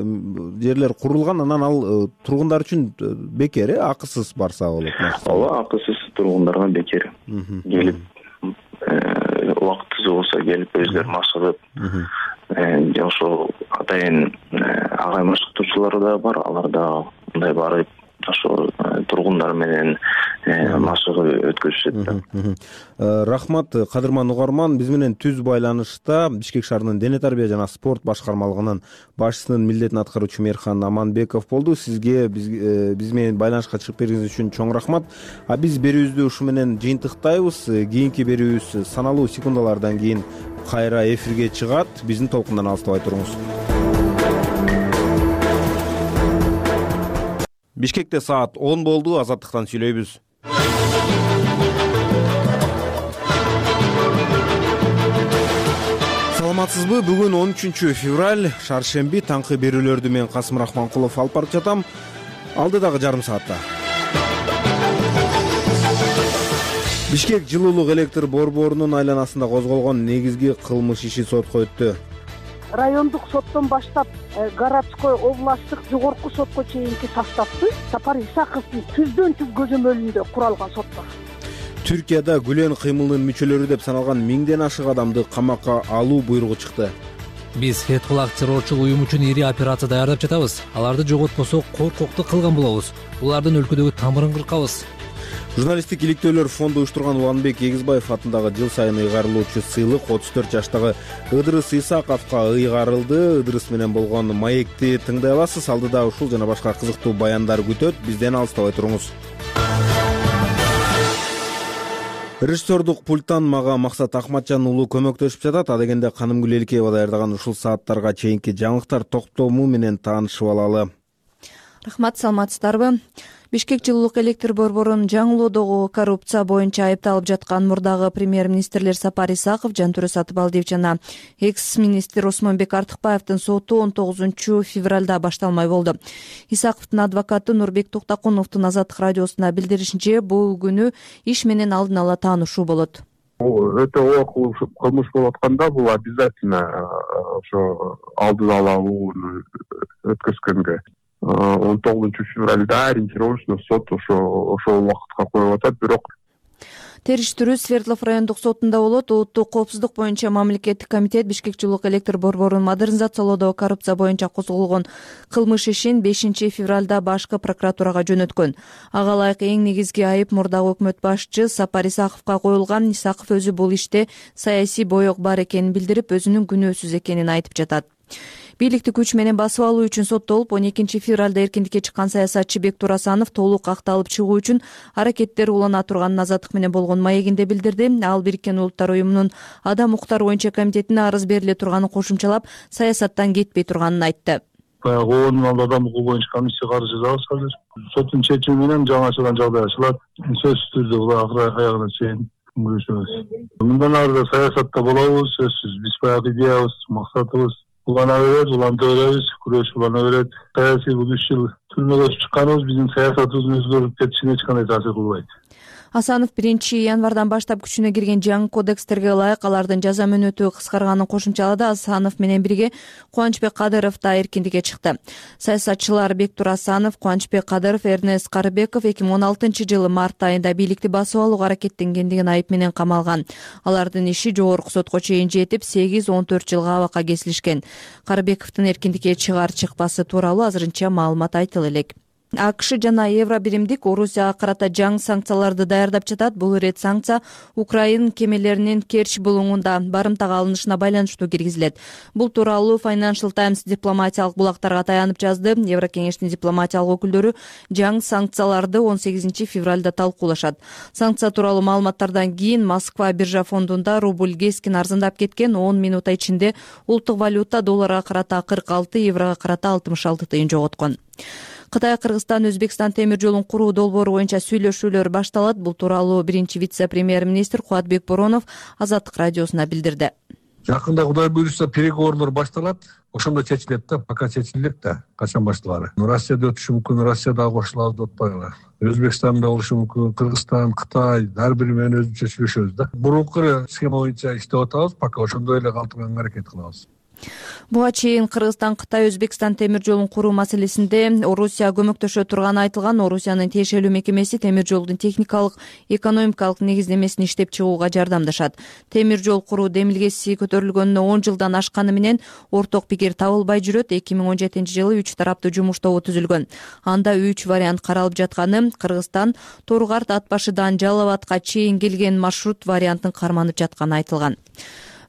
жерлер курулган, анан ал тургундар үчүн бекер, акысыз барса болот. Ооба, акысыз тургундарга бекер. Келип убактысы болсо келип өздөрү машыгып, ошо атайын агай машыктоочулары да бар, алар да мындай барып ошо тургундар менен машыгып өткөзүшөт. Рахмат, кадырман угарман. Биз менен түз байланышта Бишкек шаарынын дене тарбия жана спорт башкармалыгынын башчысынын милдетин аткаруучу Мээрхан Аманбеков болду. Сизге биз менен байланышка чыгып бергениңиз үчүн чоң рахмат. Биз берүүбүздү ушу менен жыйынтыктайбыз. Кийинки берүүбүз саналуу секундалардан кийин кайра эфирге чыгат. Биздин толкундан алыстабай туруңуз. Бишкекте саат 10 болду. Азаттыктан сүйлөйбүз. Саламатсызбы? Бүгүн 13 февраль, шаршемби. Таңкы берүүлөрдү мен Касым Рахманкулов алып барып жатам. Алдыдагы жарым саатта. Бишкек жылуулук электр борборунун айланасында козголгон негизги кылмыш иши сотко өттү. Райондук соттон баштап городской, областтык, жогорку сотко чейинки составды Сапар Исаковдун түздөн-түз көзөмөлүндө куралган соттор. Түркияда Гүлен кыймылынын мүчөлөрү деп саналган 1000ден ашык адамды камакка алуу буйругу чыкты. Биз Фетхуллах террорчул уюм үчүн ири операция даярдап жатабыз. Аларды жоготпосок коркокту кылган болобуз. Булардын өлкөдөгү тамырын кыркабыз. Журналисттик иликтөөлөр фонду уюштурган Уланбек Эгизбаев атындагы жыл сайын ыйгарылуучу сыйлык 34 жаштагы Ыдырыс Исаковго ыйгарылды. Ыдырыс менен болгон маекти тыңдай аласыз. Алдыда ушул жана башка кызыктуу баяндар күтөт. Бизден алыстабай туруңуз. Режиссердук пульттан мага Максат Акматжан уулу көмөктөшүп жатат. Адегенде Канымгүл Элкеева даярдаган ушул сааттарга чейинки жаңылыктар топтому менен таанышып алалы. Рахмат, саламатсыздарбы? Бишкек жылуулук электр борборунун жаңылоодогу коррупция боюнча айыпталып жаткан мурдагы премьер-министрлер Сапар Исаков, Жантүрө Сатыбалдиев жана экс-министр Осмонбек Артыкбаевдин соту 19 февралда башталмай болду. Исаковдун адвокаты Нурбек Токтакуновдун Азаттык радиосуна билдиришинче, бул күнү иш менен алдын ала таанышуу болот. Өтө оор кылмыш болуп атканда бул обязательно ошо алдын ала өткөзгөнгө 19 февралда ориентировочно сот ошол убакытка коюп атат. Бирок Териштирүү Свердлов райондук сотунда болот. Улуттук коопсуздук боюнча мамлекеттик комитет Бишкек жылуулук электр борборун модернизациялоодо коррупция боюнча козголгон кылмыш ишин 5 февралда башкы прокуратурага жөнөткөн. Ага ылайык эң негизги айып мурдагы өкмөт башчы Сапар Исаковго коюлган. Исаков өзү бул иште саясий боек бар экенин билдирип, өзүнүн күнөөсүз экенин айтып жатат. Бийликти күч менен басып алуу үчүн соттолуп, 12 февралда эркиндикке чыккан саясатчы Бектур Асанов толук акталып чыгуу үчүн аракеттер улана турганын Азаттык менен болгон маегинде билдирди. Ал Бириккен Улуттар уюмунун адам укуктары боюнча комитетине арыз бериле турганын кошумчалап, саясаттан кетпей турганын айтты. Баягы 10 миң адам укугу боюнча комиссия каржыдабыз азыр. Соттун чечими менен жаңачадан жагдай ачылат. Сөзсүз түрдө бул аягына чейин күрөшөбүз. Мындан ары да саясатта болобуз, сөзсүз. Биз баягы идеябыз, максатыбыз улана берет, уланта беребиз, күрөш улана берет. Саясий бул 3 жыл түрмөгө чыкканыбыз биздин саясатыбыздын өзгөрүп кетишине эч кандай таасир кылбайт. Асанов 1 январдан баштап күчүнө кирген жаңы кодекстерге ылайык алардын жаза мөөнөтү кыскарганын кошумчалады. Асанов менен бирге Кубанычбек Кадыров да эркиндикке чыкты. Саясатчылар Бектур Асанов, Кубанычбек Кадыров, Эрнест Карыбеков 2016 жылы март айында бийликти басып алууга аракеттенгендигин айып менен камалган. Алардын иши жогорку сотко чейин жетип 8-14 жылга абакка кесилишкен. Карыбековдун эркиндикке чыгар-чыкпасы тууралуу азырынча маалымат айтыла элек. АКШ жана Евробиримдик Орусияга карата жаңы санкцияларды даярдап жатат. Бул ирет санкция Украин кемелеринин Керчь булуңунда барымтага алынышына байланыштуу киргизилет. Бул тууралуу Financial Times дипломатиялык булактарга таянып жазды. Еврокеңештин дипломатиялык өкүлдөрү жаңы санкцияларды 18 февралда талкуулашат. Санкция тууралуу маалыматтардан кийин Москва биржа фондунда рубль кескин арзандап кеткен. 10 минут ичинде улуттук валюта долларга карата 46, еврого карата 66 тыйын жоготкон. Кытай, Кыргызстан, Өзбекстан темир жолун куруу долбоору боюнча сүйлөшүүлөр башталат. Бул тууралуу биринчи вице-премьер-министр Кубатбек Боронов Азаттык радиосуна билдирди. Жакында Кудай буйрса переговорлор башталат. Ошондо чечилет да, пока чечилет да, качан башталары. Россияда өтүшү мүмкүн, Россияда кошулабыз деп атпайлы. Өзбекстанда болушу мүмкүн, Кыргызстан, Кытай, ар бири менен өзүнчө сүйлөшөбүз да. Мурунку схема боюнча иштеп атабыз, пока ошондой эле калтырганга аракет кылабыз. Буга чейин Кыргызстан, Кытай, Өзбекстан темир жолун куруу маселесинде Орусия көмөктөшө турганы айтылган. Орусиянын тиешелүү мекемеси темир жолдун техникалык, экономикалык негиздемесин иштеп чыгууга жардамдашат. Темир жол куруу демилгеси көтөрүлгөнүнө 10 жылдан ашканы менен орток пикир табылбай жүрөт. 2017-жылы 3 тараптуу жумуш тобу түзүлгөн. Анда 3 вариант каралып жатканы: Кыргызстан Торгарт ат башыдан Жалал абадка чейин келген маршрут вариантын карманып жатканы айтылган.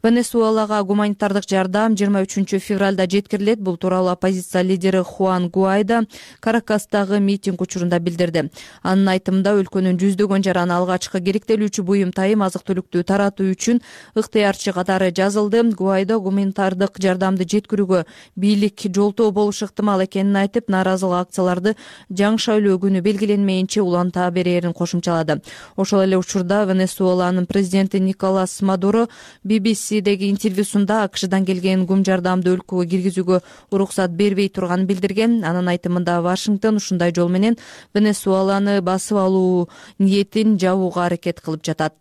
Венесуэлага гуманитардык жардам 23 февралда жеткирилет. Бул тууралуу оппозиция лидери Хуан Гуайдо Каракастагы митинг учурунда билдирди. Анын айтымында өлкөнүн жүздөгөн жараны алгачкы керектелүүчү буюм тайым азык-түлүктү таратуу үчүн ыктыярчы катары жазылды. Гуайдо гуманитардык жардамды жеткирүүгө бийлик жолтоо болушу ыктымал экенин айтып, нааразылык акцияларды жаңы шайлоо күнү белгиленмейинче уланта берерин кошумчалады. Ошол эле учурда Венесуэланын президенти Николас Мадуро BBC интервьюсунда АКШдан келген гум жардамды өлкөгө киргизүүгө уруксат бербей турганын билдирген. Анын айтымында Вашингтон ушундай жол менен Венесуэланы басып алуу ниетин жабууга аракет кылып жатат.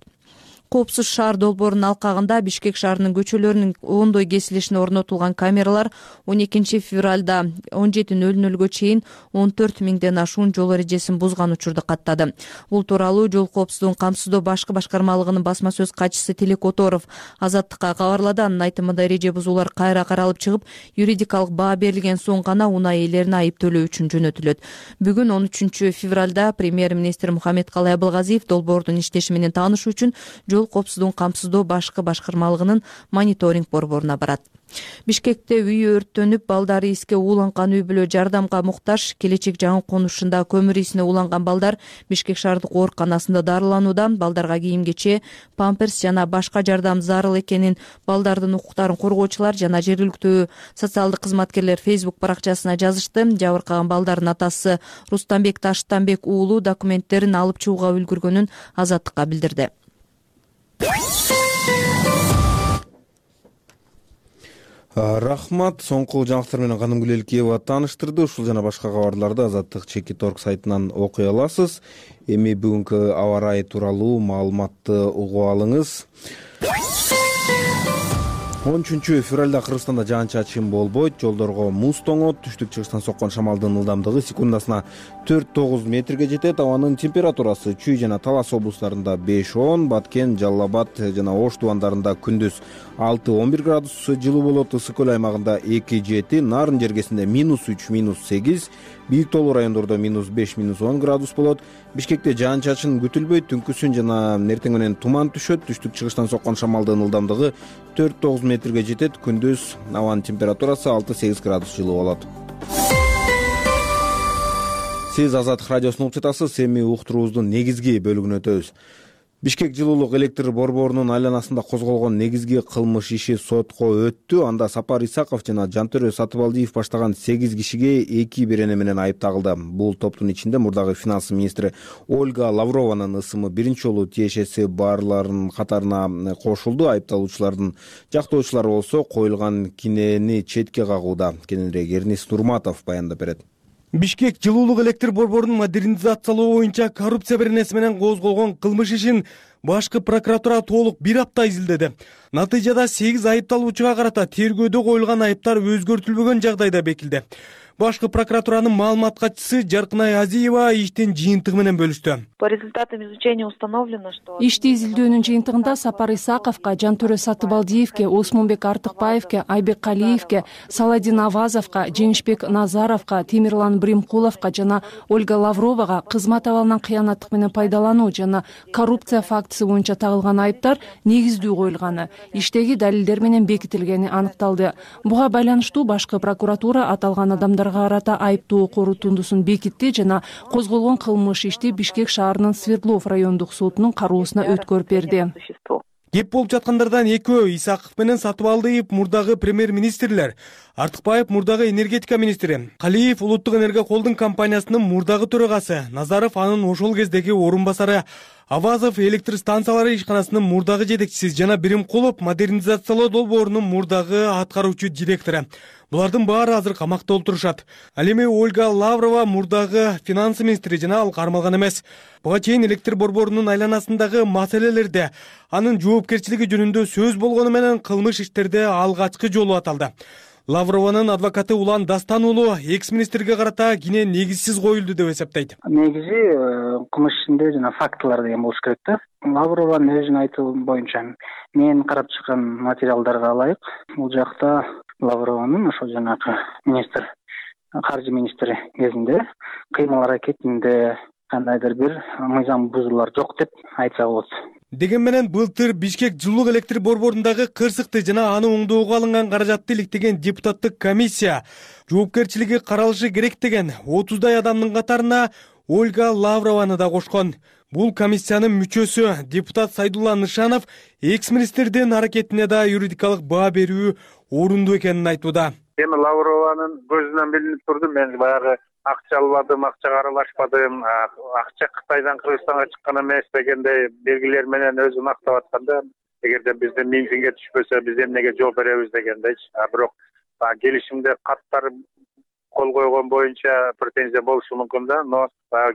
Коопсуз шаар долбоорунун алкагында Бишкек шаарынын көчөлөрүнүн оңдой кесилишине орнотулган камералар 12 февралда 17:00 чейин 14 миңден ашуун жол эрежесин бузган учурду каттады. Бул тууралуу жол коопсуздугун камсыздоо башкы башкармалыгынын басма сөз катчысы Тилек Которов Азаттыкка кабарлады. Анын айтымында эреже бузуулар кайра каралып чыгып, юридикалык баа берилген соң гана унаа ээлерине айып төлөө үчүн жөнөтүлөт. Бүгүн 13 февралда премьер-министр Мухаммедкалый Абылгазиев долбоордун иштеши менен таанышуу үчүн жол коопсуздугун камсыздоо башкы башкармалыгынын мониторинг борборуна барат. Бишкекте үй өрттөнүп, балдары иске ууланган үй бүлө жардамга муктаж. Келечек жаңы конушунда көмүр исине ууланган балдар Бишкек шаардык ооруканасында дарыланууда. Балдарга кийим-кече, памперс жана башка жардам зарыл экенин балдардын укуктарын коргоочулар жана жергиликтүү социалдык кызматкерлер Facebook баракчасына жазышты. Жабыркаган балдардын атасы Рустамбек Таштанбек уулу документтерин алып чыгууга үлгүргөнүн Азаттыкка билдирди. Рахмат. Соңку жаңылыктар менен Каным Гүлелкиева тааныштырды. Ушул жана башка кабарларды Азаттык Чекит.орг сайтынан окуй аласыз. Эми бүгүнкү аба ырайы тууралуу маалыматты угуп алыңыз. 13 февралда Кыргызстанда жаан-чачын болбойт, жолдорго муз тоңот, түштүк-чыгыштан соккон шамалдын ылдамдыгы секундасына 4-9 метрге жетет. Абанын температурасы Чүй жана Талас облустарында 5-10, Баткен, Жалал абад жана Ош тубандарында күндүз 6-11 градус жылуу болот. Ысык көл аймагында 2-7, Нарын жергесинде -3, -8, Бийик тоолуу райондордо -5, -10 градус болот. Бишкекте жаан-чачын күтүлбөйт, түнкүсүн жана эртең менен туман түшөт. Түштүк-чыгыштан соккон шамалдын ылдамдыгы 4-9 метрге жетет. Күндүз абанын температурасы 6-8 градус жылуу болот. Сиз Азаттык радиосун угуп жатасыз. Эми уктуруубуздун негизги бөлүгүнө өтөбүз. Бишкек жылуулук электр борборунун айланасында козголгон негизги кылмыш иши сотко өттү. Анда Сапар Исаков жана Жантөрө Сатыбалдиев баштаган 8 кишиге 2 берене менен айып тагылды. Бул топтун ичинде мурдагы финанс министри Ольга Лаврованын ысымы биринчи жолу тиешеси барларынын катарына кошулду. Айыпталуучулардын жактоочулары болсо коюлган кинени четке кагууда. Кененирээк Эрнис Нурматов баяндап берет. Бишкек жылуулук электр борборунун модернизациялоо боюнча коррупция беренеси менен козголгон кылмыш ишин башкы прокуратура толук 1 апта изилдеди. Натыйжада 8 айыпталуучуга карата тергөөдө коюлган айыптар өзгөртүлбөгөн жагдайда бекилди. Башкы прокуратуранын маалымат катчысы Жаркынай Азиева иштин жыйынтыгы менен бөлүштү. По результатам изучения установлено, что ишти изилдөөнүн жыйынтыгында Сапар Исаковго, Жантөрө Сатыбалдиевке, Осмонбек Артыкбаевке, Айбек Калиевке, Саладин Авазовго, Женишбек Назаровго, Темирлан Бримкуловго жана Ольга Лавровага кызмат абалынан кыянаттык менен пайдалануу жана коррупция фактысы боюнча тагылган айыптар негиздүү коюлганы, иштеги далилдер менен бекитилгени аныкталды. Буга байланыштуу башкы прокуратура аталган адамдарга карата айыптоо корутундусун бекитти жана козголгон кылмыш ишти Бишкек шаарынын Свердлов райондук сотунун кароосуна өткөрүп берди. Кеп болуп жаткандардан экөө Исаков менен Сатыбалдиев мурдагы премьер-министрлер. Артыкбаев мурдагы энергетика министри, Калиев улуттук энерго холдинг компаниясынын мурдагы төрагасы, Назаров анын ошол кездеги орун басары, Авазов электр станциялары ишканасынын мурдагы жетекчиси жана Биримкулов модернизациялоо долбоорунун мурдагы аткаруучу директору. Булардын баары азыр камакта отурушат. Ал эми Ольга Лаврова мурдагы финансы министри жана ал кармалган эмес. Буга чейин электр борборунун айланасындагы маселелерде анын жоопкерчилиги жөнүндө сөз болгону менен кылмыш иштерде алгачкы жолу аталды. Лаврованын адвокаты Улан Дастан уулу экс-министрге карата кине негизсиз коюлду деп эсептейт. Негизи кылмыш ишинде жана фактылар деген болуш керек да. Лаврованын өзүнүн айтуу боюнча мен карап чыккан материалдарга ылайык бул жакта Лаврованын ошо жанагы министр, каржы министри кезинде кыймыл аракетинде кандайдыр бир мыйзам бузуулар жок деп айтса болот. Деген менен былтыр Бишкек жылуулук электр борборундагы кырсыкты жана аны оңдоого алынган каражатты иликтеген депутаттык комиссия жоопкерчилиги каралышы керек деген 30дай адамдын катарына Ольга Лаврованы да кошкон. Бул комиссиянын мүчөсү депутат Сайдулла Нышанов экс-министрдин аракетине да юридикалык баа берүү орунду экенин айтууда. Эми Лаврованын көзүнөн билинип турду, мен баягы акча албадым, акчага аралашпадым, акча Кытайдан Кыргызстанга чыккан эмес дегендей белгилер менен өзүн актап атканда, эгерде биздин миңзинге түшпөсө биз эмнеге жооп беребиз дегендейчи. Бирок келишимде каттар кол койгон боюнча претензия болушу мүмкүн да, но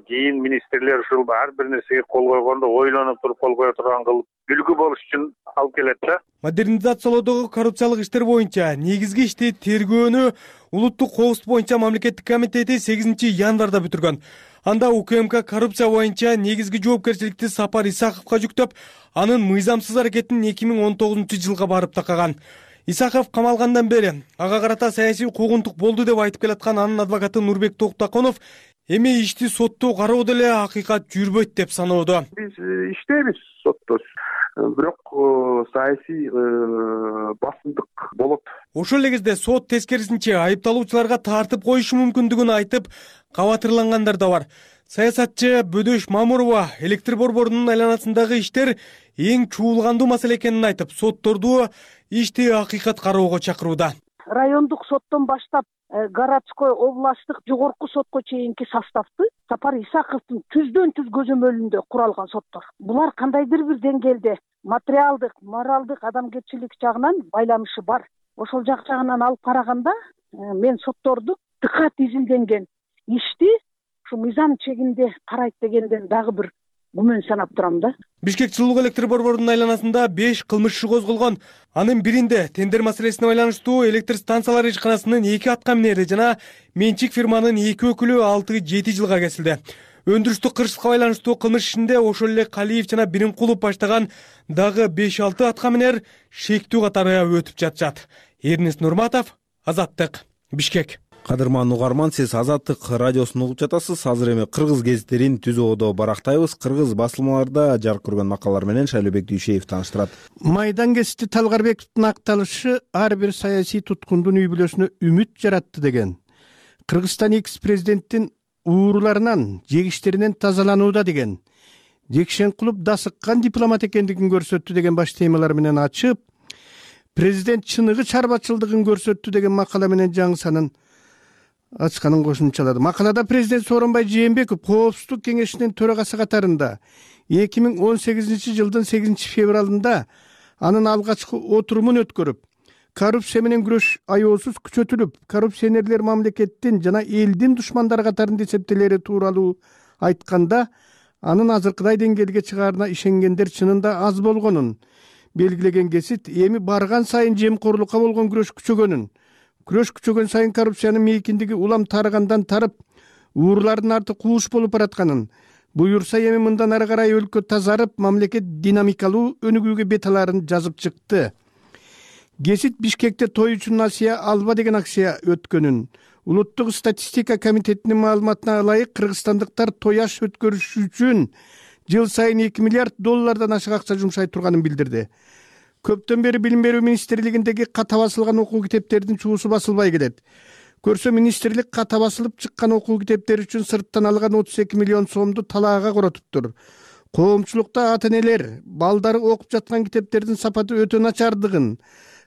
кийин министрлер ушул ар бир нерсеге кол койгондо ойлонуп туруп кол кое турган кылып үлгү болуш үчүн алып келет да. Модернизациялоодогу коррупциялык иштер боюнча негизги ишти тергөөнү Улуттук коопсуздук боюнча мамлекеттик комитети 8 январда бүтүргөн. Анда УКМК коррупция боюнча негизги жоопкерчиликти Сапар Исаковго жүктөп, анын мыйзамсыз аракетин 2019-жылга барып такаган. Исаков камалгандан бери ага карата саясий куугунтук болду деп айтып келаткан анын адвокаты Нурбек Токтаконов эми ишти соттоо кароо деле акыйкат жүрбөйт деп саноодо. Биз иштейбиз сотто, бирок саясий басымдык болот. Ошол эле кезде сот тескерисинче айыпталуучуларга тартып коюшу мүмкүндүгүн айтып кабатырлангандар да бар. Саясатчы Бөдөш Мамурова электр борборунун айланасындагы иштер эң чуулгандуу маселе экенин айтып, сотторду ишти акыйкат кароого чакырууда. Райондук соттон баштап городской, областтык, жогорку сотко чейинки составды Сапар Исаковдун түздөн-түз көзөмөлүндө куралган соттор. Булар кандайдыр бир деңгээлде материалдык, моралдык, адамгерчилик жагынан байланышы бар. Ошол жагынан алып караганда мен сотторду дыкат изилденген ишти ушу мыйзам чегинде карайт дегенден дагы бир күмөн санап турам да. Бишкек жылуулук электр борборунун айланасында 5 кылмыш иши козголгон. Анын биринде тендер маселесине байланыштуу электр станциялары ишканасынын 2 аткаминери жана менчик фирманын 2 өкүлү 6-7 жылга кесилди. Өндүрүштүк кырсыкка байланыштуу кылмыш ишинде ошол эле Калиев жана Биримкулов баштаган дагы 5-6 аткаминер шектүү катары өтүп жатышат. Эрнест Нурматов, Азаттык, Бишкек. Кадырман угарман, сиз Азаттык радиосун угуп жатасыз. Азыр эми кыргыз гезиттерин түзүүдө барактайбыз. Кыргыз басылмаларда жарык көргөн макалалар менен Шайлообек Дүйшеев тааныштырат. Майдан гезити Талгарбековдун акталышы ар бир саясий туткундун үй бүлөсүнө үмүт жаратты деген. Кыргызстан экс-президенттин ууруларынан, жегиштеринен тазаланууда деген. Жекшенкулов да сыккан дипломат экендигин көрсөттү деген баш темалар менен ачып, президент чыныгы чарбачылдыгын көрсөттү деген макала менен жаңы санын ачканын кошумчалады. Макалада президент Сооронбай Жээнбеков Коопсуздук кеңешинин төрагасы катарында 2018-жылдын 8 февралында анын алгачкы отурумун өткөрүп, коррупция менен күрөш аеосуз күчөтүлүп, коррупционерлер мамлекеттин жана элдин душмандары катарында эсептелери тууралуу айтканда, анын азыркыдай деңгээлге чыгаарына ишенгендер чынында аз болгонун белгилеген гезит эми барган сайын жемкорлукка болгон күрөш күчөгөн сайын коррупциянын мейкиндиги улам тарыгандан тарып, уурулардын арты кууш болуп баратканын, буюрса эми мындан ары карай өлкө тазарып, мамлекет динамикалуу өнүгүүгө бет аларын жазып чыкты. Гезит Бишкекте той үчүн насыя алба деген акция өткөнүн, Улуттук статистика комитетинин маалыматына ылайык кыргызстандыктар той аш өткөрүш үчүн жыл сайын $2 миллиард ашык акча жумшай турганын билдирди. Көптөн бери Билим берүү министрлигиндеги ката басылган окуу китептердин чуусу басылбай келет. Көрсө министрлик ката басылып чыккан окуу китептери үчүн сырттан алган 32 миллион сомду талаага коротуптур. Коомчулукта ата-энелер балдары окуп жаткан китептердин сапаты өтө начардыгын,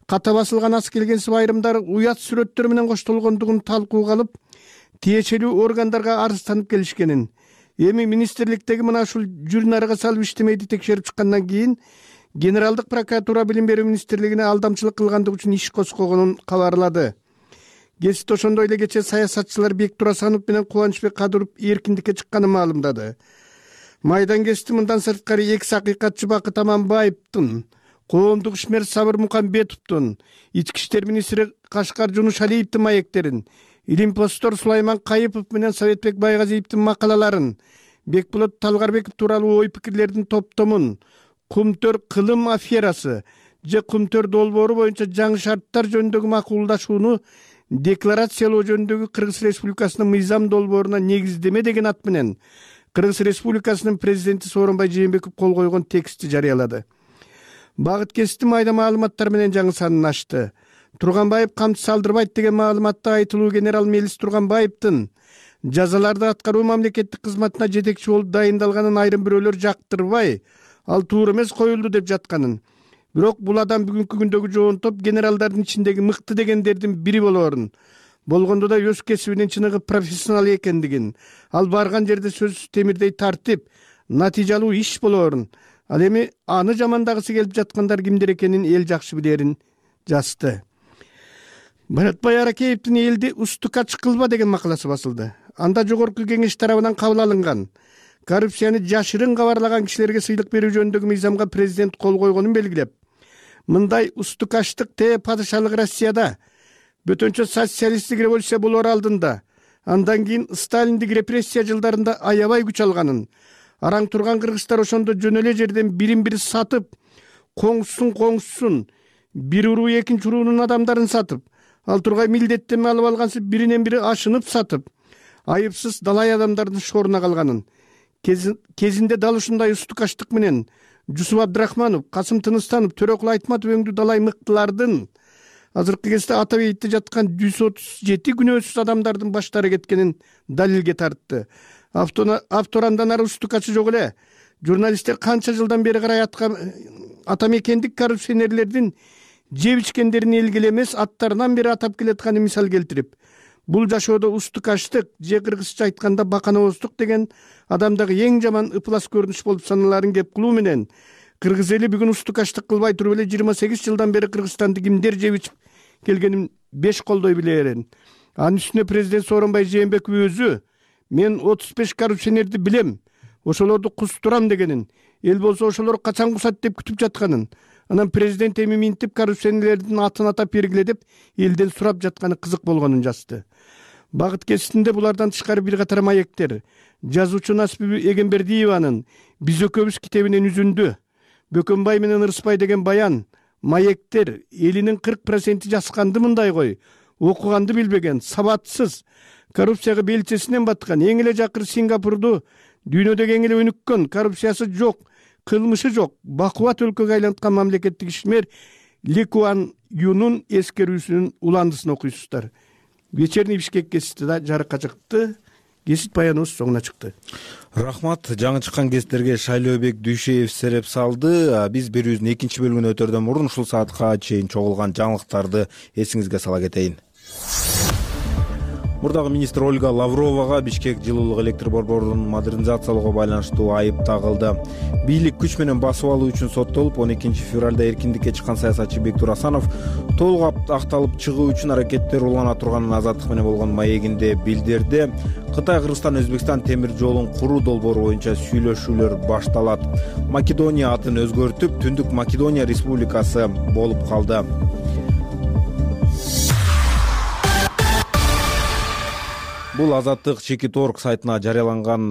ката басылган ас келгенсип айрымдары уят сүрөттөр менен коштолгондугун талкууга алып тиешелүү органдарга арызданып келишкенин, эми министрликтеги мына ушул журнарга салып иштемейди текшерип чыккандан кийин Генералдык прокуратура Билим берүү министрлигине алдамчылык кылгандык үчүн иш козгогонун кабарлады. Гезит ошондой эле кечээ саясатчылар Бек Турасанов менен Кубанычбек Кадыров эркиндикке чыкканын маалымдады. Майдан гезити мындан сырткары экс акыйкатчы Бакыт Аманбаевдин, коомдук ишмер Сабыр Мукамбетовдун, ички иштер министри Кашкар Жунуш Алиевдин маектерин, Илимпостор Сулайман Кайыпов менен Советбек Байгазиевдин макалаларын, Бекболот Талгарбеков тууралуу ой пикирлердин топтомун, Кумтөр кылым аферасы же Кумтөр долбоору боюнча жаңы шарттар жөнүндөгү макулдашууну декларациялоо жөнүндөгү Кыргыз Республикасынын мыйзам долбооруна негиздеме деген ат менен Кыргыз Республикасынын президенти Сооронбай Жээнбеков кол койгон текстти жарыялады. Багыт кести майда маалыматтар менен жаңы санын ачты. Турганбаев камчы салдырбайт деген маалыматта айтылуу генерал Мелис Турганбаевдин жазаларды аткаруу мамлекеттик кызматына жетекчи болуп дайындалганын айрым бирөөлөр жактырбай, ал туура эмес коюлду деп жатканын. Бирок бул адам бүгүнкү күндөгү жоон топ генералдардын ичиндеги мыкты дегендердин бири болоорун, болгондо да өз кесибинин чыныгы профессионал экендигин, ал барган жерде сөзсүз темирдей тартип, натыйжалуу иш болоорун, ал эми аны жамандагысы келип жаткандар кимдер экенин эл жакшы билерин жазды. Баратбай Аракеевдин элди устукач кылба деген макаласы басылды. Анда жогорку кеңеш тарабынан кабыл алынган коррупцияны жашырын кабарлаган кишилерге сыйлык берүү жөнүндөгү мыйзамга президент кол койгонун белгилеп, мындай устукачтык падышалык Россияда бөтөнчө социалисттик революция болоор алдында, андан кийин Сталиндик репрессия жылдарында аябай күч алганын, араң турган кыргыздар ошондо жөн эле жерден бирин бири сатып, коңшусун, бир уруу экинчи уруунун адамдарын сатып, ал тургай милдеттенме алып алгансып биринен бири ашынып сатып, айыпсыз далай адамдардын шоруна калганын, кезинде дал ушундай устукачтык менен Жусуп Абдрахманов, Касым Тыныстанов, Төрөкул Айтматов өңдүү далай мыктылардын азыркы кезде ата бейитте жаткан 137 күнөөсүз адамдардын баштары кеткенин далилге тартты. Автор андан ары устукачы жок эле. Журналисттер канча жылдан бери карай атамекендик коррупционерлердин жеп ичкендерин элгиле эмес аттарынан бери атап келатканын мисал келтирип, бул жашоодо устукачтык же кыргызча айтканда баканабоздук деген адамдагы эң жаман ыплас көрүнүш болуп саналаарын кеп кылуу менен кыргыз эли бүгүн устукачтык кылбай туруп эле 28 жылдан бери Кыргызстанды кимдер жеп ичип келгенин беш колдой билерин. Анын үстүнө президент Сооронбай Жээнбеков өзү мен 35 коррупционерди билем, ошолорду кустурам дегенин, эл болсо ошолор качан кусат деп күтүп жатканын, анан президент эми минтип коррупционерлердин атын атап бергиле деп элден сурап жатканы кызык болгонун жазды. Багыт кеситинде булардан тышкары бир катар маектер, жазуучу Насипи Эгембердиеванын «Биз экөөбүз» китебинен үзүндү, Бөкөнбай менен Ырысбай деген баян, маектер элинин 40% жасканды мындай кой, окуганды билбеген, сабатсыз, коррупцияга белчесинен баткан, эң эле жакыр Сингапурду дүйнөдөгү эң эле өнүккөн, коррупциясы жок, кылмышы жок, бакубат өлкөгө айланткан мамлекеттик ишмер Ли Куан Юнун эскерүүсүнүн уландысын окуйсуздар. Вечерний Бишкек гезити да жарыкка чыкты. Гезит баяныбыз соңуна чыкты. Рахмат. Жаңы чыккан гезиттерге Шайлообек Дүйшеев сереп салды. Биз берүүбүздүн экинчи бөлүгүнө өтөрдөн мурун ушул саатка чейин чогулган жаңылыктарды эсиңизге сала кетейин. Мурдагы министр Ольга Лавровага Бишкек жылуулук электр борборун модернизациялоого байланыштуу айып тагылды. Бийлик күч менен басып алуу үчүн соттолуп, 12 февралда эркиндикке чыккан саясатчы Бек Турасанов толук акталып чыгуу үчүн аракеттер улана турганын азаттык менен болгон маегинде билдирди. Кытай, Кыргызстан, Өзбекстан темир жолун куруу долбоору боюнча сүйлөшүүлөр башталат. Македония атын өзгөртүп, Түндүк Македония Республикасы болуп калды. Бул Азаттык Чекит.орг сайтына жарыяланган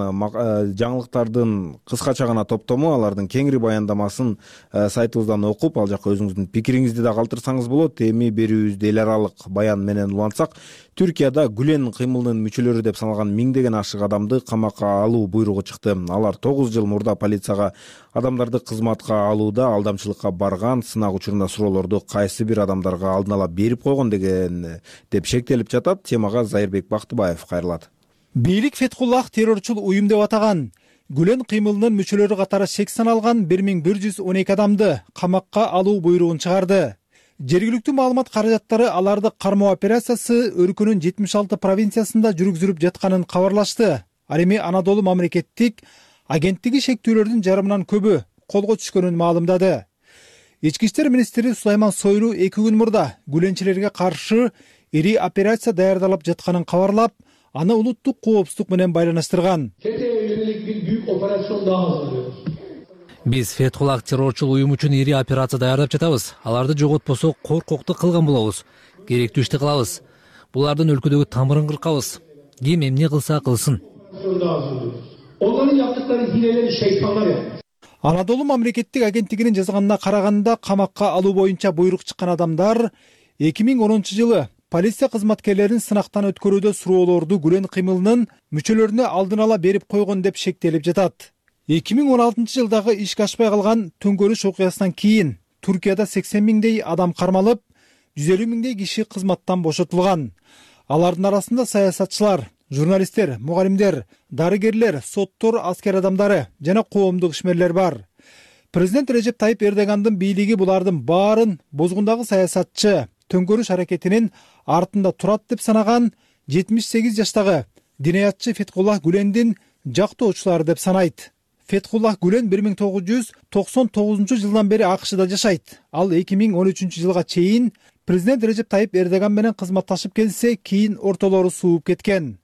жаңылыктардын кыскача гана топтому, алардын кеңири баяндамасын сайтыбыздан окуп, ал жакка өзүңүздүн пикириңизди да калтырсаңыз болот. Эми берүүбүздү эл аралык баян менен улантсак, Түркияда Гүлен кыймылынын мүчөлөрү деп саналган миңдеген ашык адамды камакка алуу буйругу чыкты. Алар 9 жыл мурда полицияга адамдарды кызматка алууда алдамчылыкка барган, сынак учурунда суроолорду кайсы бир адамдарга алдын ала берип койгон деп шектелип жатат. Темага Зайырбек Бактыбаев кайрылат. Бийлик Фетхуллах террорчул уюм деп атаган Гүлен кыймылынын мүчөлөрү катары шек саналган 1112 адамды камакка алуу буйругун чыгарды. Жергиликтүү маалымат каражаттары аларды кармоо операциясы өлкөнүн 76 провинциясында жүргүзүлүп жатканын кабарлашты. Ал эми Анадолу мамлекеттик агенттиги шектүүлөрдүн жарымынан көбү колго түшкөнүн маалымдады. Ички иштер министри Сулайман Сойлу 2 күн мурда гүленчилерге каршы ири операция даярдалып жатканын кабарлап, аны улуттук коопсуздук менен байланыштырган. Биз Фетхуллах террорчул уюм үчүн ири операция даярдап жатабыз. Аларды жоготпосок коркокту кылган болобуз. Керектүү ишти кылабыз. Булардын өлкөдөгү тамырын кыркабыз. Ким эмне кылса кылсын. Анадолу мамлекеттик агенттигинин жазганына караганда, камакка алуу боюнча буйрук чыккан адамдар 2010-жылы полиция кызматкерлерин сынактан өткөрүүдө суроолорду Гүлен кыймылынын мүчөлөрүнө алдын ала берип койгон деп шектелип жатат. 2016-жылдагы ишке ашпай калган төңкөрүш окуясынан кийин Туркияда 80 миңдей адам кармалып, 150 миңдей киши кызматтан бошотулган. Алардын арасында саясатчылар, журналисттер, мугалимдер, дарыгерлер, соттор, аскер адамдары жана коомдук ишмерлер бар. Президент Режеп Тайип Эрдогандын бийлиги булардын баарын бозгундагы саясатчы, төңкөрүш аракетинин артында турат деп санаган 78 жаштагы динаятчы Фетхуллах Гүлендин жактоочулары деп санайт. Фетхуллах Гүлен 1999-жылдан бери АКШда жашайт. Ал 2013-жылга чейин президент Режеп Тайип Эрдоган менен кызматташып келсе, кийин ортолору сууп кеткен.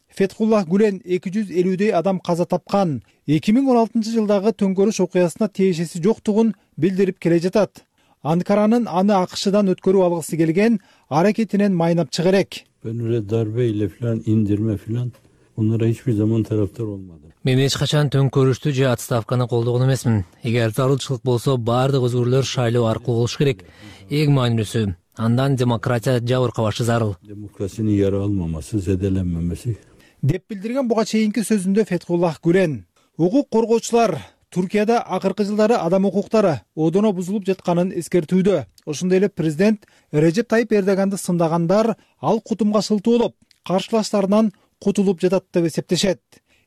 Фетхуллах Гүлен 250дей адам каза тапкан. 2016-жылдагы төңкөрүш окуясына тиешеси жоктугун билдирип келе жатат. Анкаранын аны АКШдан өткөрүп алгысы келген аракетинен майнап чыга элек. Darbe ile falan indirme falan bunlara hiçbir zaman taraftar olmadım. Мен эч качан төңкөрүштү же отставканы колдогон эмесмин. Эгер зарылчылык болсо, баардык өзгөрүүлөр шайлоо аркылуу болуш керек. Эң маанилүүсү, андан демократия жабыркабашы зарыл. Demokrasinin yara almaması, zedelenmemesi. Деп билдирген буга чейинки сөзүндө Фетхуллах Гүлен. Укук коргоочулар Туркияда акыркы жылдары адам укуктары одоно бузулуп жатканын эскертүүдө. Ошондой эле президент Режеп Тайип Эрдоганды сындагандар ал кутумга шылтуу болуп, каршылаштарынан кутулуп жатат деп эсептешет.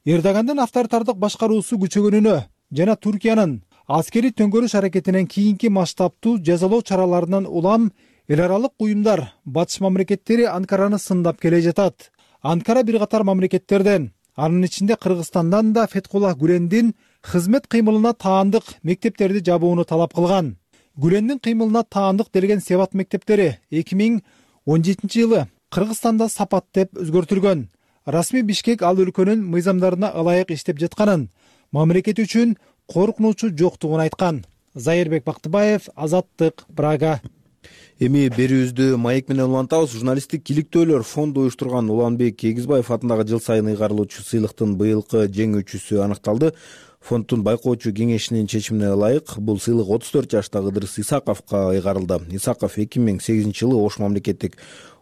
Эрдогандын авторитардык башкаруусу күчөгөнүнө жана Туркиянын аскери төңкөрүш аракетинен кийинки масштабтуу жазалоо чараларынан улам эл аралык уюмдар, батыш мамлекеттери Анкараны сындап келе жатат. Анкара бир катар мамлекеттерден, анын ичинде Кыргызстандан да Фетхуллах Гүлендин кызмет кыймылына таандык мектептерди жабууну талап кылган. Гүлендин кыймылына таандык делген Себат мектептери 2017-жылы Кыргызстанда Сапат деп өзгөртүлгөн. Расмий Бишкек ал өлкөнүн мыйзамдарына ылайык иштеп жатканын, мамлекет үчүн коркунучу жоктугун айткан. Зайырбек Бактыбаев, Азаттык, Прага. Эми берүүбүздү маек менен улантабыз. Журналисттик иликтөөлөр фонду уюштурган Уланбек Эгизбаев атындагы жыл сайын ыйгарылуучу сыйлыктын быйылкы жеңүүчүсү аныкталды. Фонддун байкоочу кеңешинин чечимине ылайык бул сыйлык 34 жаштагы Ыдырыс Исаковго ыйгарылды. Исаков 2008-жылы Ош мамлекеттик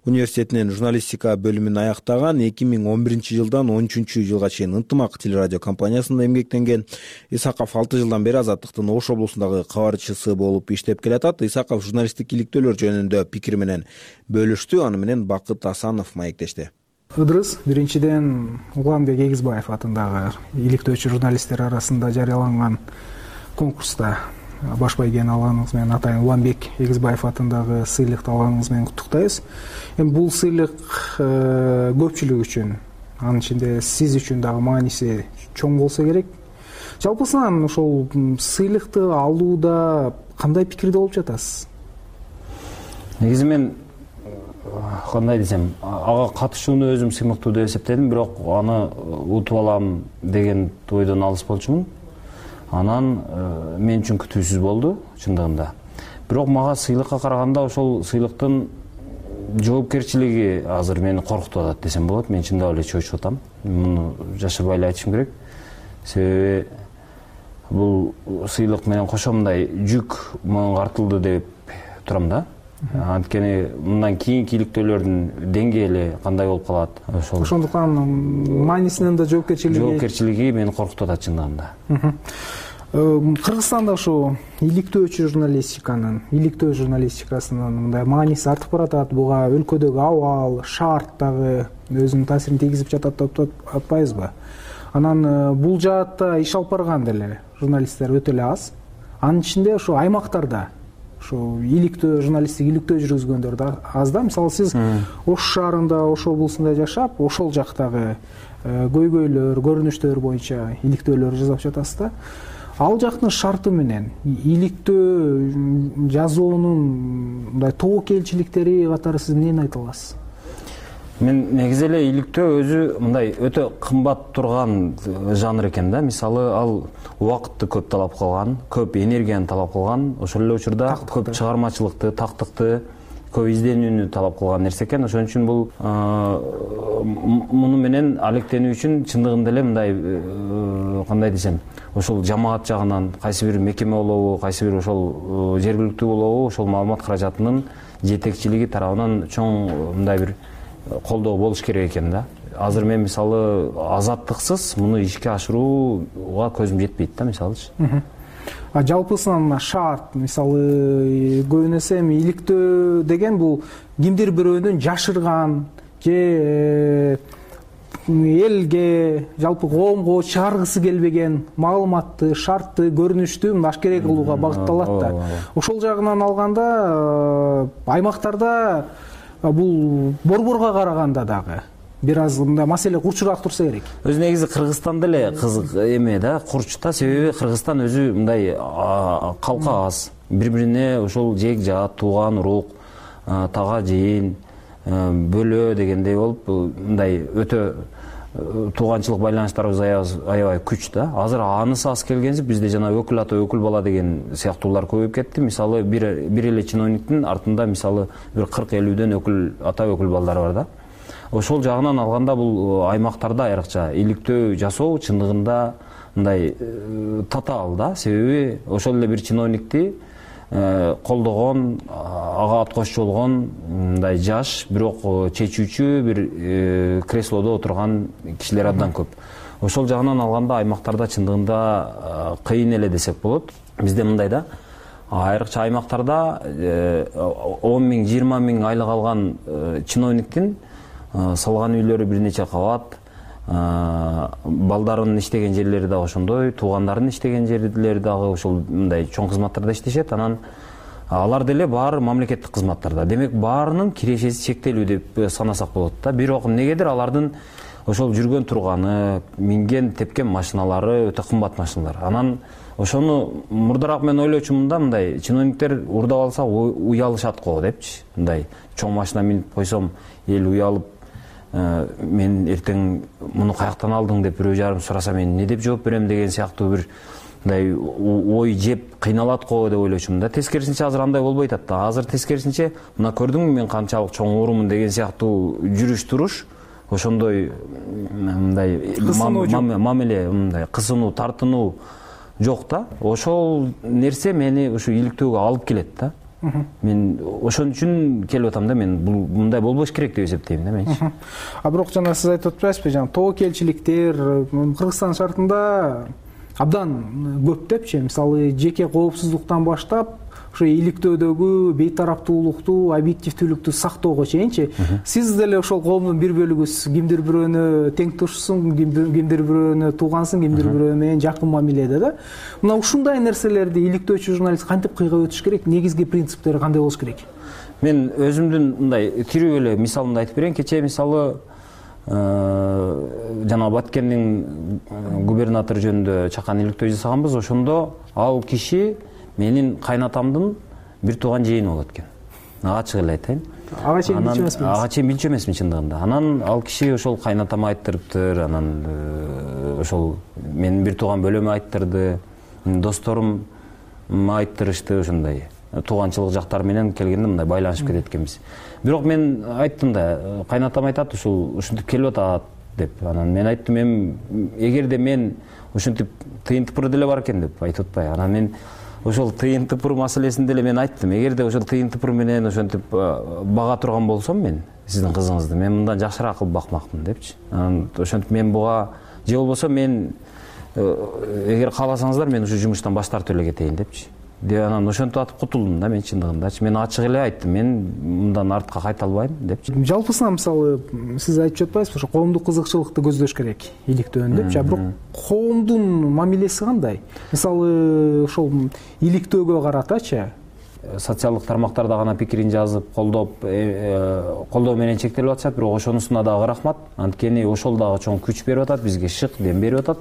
университетинин журналистика бөлүмүн аяктаган, 2011-жылдан 13-жылга чейин Ынтымак телерадио компаниясында эмгектенген. Исаков 6 жылдан бери Азаттыктын Ош облусундагы кабарчысы болуп иштеп келатат. Исаков журналисттик иликтөөлөр жөнүндө пикир менен бөлүштү. Аны менен Бакыт Асанов маектешти. Ыдырыс биринчиден Уланбек Эгизбаев атындагы иликтөөчү журналисттер арасында жарыяланган конкурста баш байгени алганыңыз менен атайын Уланбек Эгизбаев атындагы сыйлыкты алганыңыз менен куттуктайбыз. Эми бул сыйлык көпчүлүк үчүн, анын ичинде сиз үчүн дагы мааниси чоң болсо керек. Жалпысынан ошол сыйлыкты алууда кандай пикирде болуп жатасыз? Негизи мен кандай десем, ага катышууну өзүм сыймыктуу деп эсептедим, бирок аны утуп алам деген ойдон алыс болчумун. Анан мен үчүн күтүүсүз болду чындыгында. Бирок мага сыйлыкка караганда ошол сыйлыктын жоопкерчилиги азыр мени коркутуп атат десем болот. Мен чындап эле чочуп атам. Муну жашырбай эле айтышым керек. Себеби бул сыйлык менен кошо мындай жүк мага артылды деп турам да. Анткени мындан кийинки иликтөөлөрдүн деңгээли кандай болуп калат? Ошондуктан маанисинен да жоопкерчилиги мени коркутуп атат чындыгында. Кыргызстанда ошо иликтөөчү журналистикасынын мындай мааниси артып баратат. Буга өлкөдөгү абал, шарт дагы өзүнүн таасирин тийгизип жатат деп атпайбызбы? Анан бул жаатта иш алып барган деле журналисттер өтө эле аз. Анын ичинде ошо аймактарда ошо иликтөө журналисттик иликтөө жүргүзгөндөр да аз да. Мисалы сиз Ош шаарында, Ош облусунда жашап, ошол жактагы көйгөйлөр, көрүнүштөр боюнча иликтөөлөр жасап жатасыз да. Ал жактын шарты менен иликтөө жазуунун мындай тобокелчиликтери катары сиз эмнени айта аласыз? Мен негизи эле иликтөө өзү мындай өтө кымбат турган жанр экен да. Мисалы ал убакытты көп талап кылган, көп энергияны талап кылган, ошол эле учурда көп чыгармачылыкты, тактыкты, көп изденүүнү талап кылган нерсе экен. Ошон үчүн бул муну менен алектенүү үчүн чындыгында эле мындай кандай десем, ошол жамаат жагынан кайсы бир мекеме болобу, кайсы бир ошол жергиликтүү болобу, ошол маалымат каражатынын жетекчилиги тарабынан чоң мындай бир колдоо болуш керек экен да. Азыр мен мисалы азаттыксыз муну ишке ашырууга көзүм жетпейт да, мисалычы. Жалпысынан шарт, мисалы көбүн эсе иликтөө деген бул кимдир бирөөнүн жашырган же элге, жалпы коомго чыгаргысы келбеген маалыматты, шартты, көрүнүштү ашкере кылууга багытталат да. Ошол жагынан алганда аймактарда бул борборго караганда дагы бир аз мындай маселе курчураак турса керек. Өзү негизи Кыргызстанда эле кызык эме да, курч да. Себеби Кыргызстан өзү мындай калка аз. Бири-бирине ошол жек жаат, тууган урук, тага жыйын, бөлө дегендей болуп мындай өтө тууганчылык байланыштарыбыз аябай күч да. Азыр анысы аз келгенсип бизде жана өкүл ата өкүл бала деген сыяктуулар көбөйүп кетти. Мисалы бир эле чиновниктин артында мисалы бир 40-50дөн өкүл ата өкүл балдары бар да. Ошол жагынан алганда бул аймактарда айрыкча иликтөө жасоо чындыгында мындай татаал да. Себеби ошол эле бир чиновникти колдогон, ага ат кошчу болгон мындай жаш, бирок чечүүчү бир креслодо отурган кишилер абдан көп. Ошол жагынан алганда аймактарда чындыгында кыйын эле десек болот. Бизде мындай да, айрыкча аймактарда 10 миң, 20 миң айлык алган чиновниктин салган үйлөрү бир нече кабат, балдарынын иштеген жерлери дагы ошондой, туугандарынын иштеген жерлери дагы ошол мындай чоң кызматтарда иштешет. Анан алар деле баары мамлекеттик кызматтарда. Демек баарынын кирешеси чектелүү деп санасак болот да. Бирок эмнегедир алардын ошол жүргөн турганы, минген тепкен машиналары өтө кымбат машиналар. Анан ошону мурдараак мен ойлочумун да, мындай чиновниктер уурдап алса уялышат го депчи. Мындай чоң машина минип койсом эл уялып, мен эртең муну каяктан алдың деп бирөө жарым сураса мен эмне деп жооп берем деген сыяктуу бир мындай ой жеп кыйналат го деп ойлочумун да. Тескерисинче азыр андай болбой атат да. Азыр тескерисинче мына көрдүңбү мен канчалык чоң уурумун деген сыяктуу жүрүш туруш, ошондой мындай мамиле, мындай кысынуу, тартынуу жок да. Ошол нерсе мени ушу иликтөөгө алып келет да. Мен ошон үчүн келип атам да, мен бул мындай болбош керек деп эсептейм да менчи. Бирок жана сиз айтып атпайсызбы, жана тобокелчиликтер Кыргызстан шартында абдан көп депчи. Мисалы жеке коопсуздуктан баштап ошо иликтөөдөгү бейтараптуулукту, объективдүүлүктү сактоого чейинчи. Сиз деле ошол коомдун бир бөлүгүсүз. Кимдир бирөөнү тең тушсун, кимдир бирөөнү туугансың, кимдир бирөө менен жакын мамиледе да. Мына ушундай нерселерди иликтөөчү журналист кантип кыйга өтүш керек? Негизги принциптери кандай болуш керек? Мен өзүмдүн мындай тирүү эле мисалымды айтып берейин. Кечээ мисалы жана Баткендин губернатору жөнүндө чакан иликтөө жасаганбыз. Ошондо ал киши менин кайнатамдын бир тууган жыйыны болот экен. Ачык эле айтайын. Ага чейин билчү эмесмин. Ага чейин билчү эмесмин чындыгында. Анан ал киши ошол кайнатама айттырыптыр, анан ошол менин бир тууган бөлөмө айттырды, досторум айттырышты, ошондой тууганчылык жактары менен келгенде мындай байланышып кетет экенбиз. Бирок мен айттым да, кайнатам айтат ушинтип келип атат деп. Анан мен айттым, эгерде мен ушинтип тыйын тыпыры деле бар экен деп айтып атпайбы. Анан мен ошол тыйын тыпыр маселесин деле мен айттым. Эгерде ошол тыйын тыпыр менен ошентип бага турган болсом мен сиздин кызыңызды, мен мындан жакшыраак кылып бакмакмын депчи. Анан ошентип мен буга же болбосо мен эгер кааласаңыздар мен ушу жумуштан баш тартып эле кетейин депчи. Деп анан ошентип атып кутулдум да мен чындыгындачы. Мен ачык эле айттым, мен мындан артка кайта албайм депчи. Жалпысынан мисалы сиз айтып жатпайсызбы, ошо коомдук кызыкчылыкты көздөш керек иликтөөнү депчи. Бирок коомдун мамилеси кандай? Мисалы ошол иликтөөгө каратачы социалдык тармактарда гана пикирин жазып колдоо менен чектелип атышат, бирок ошонусуна дагы рахмат. Анткени ошол дагы чоң күч берип атат, бизге шык дем берип атат.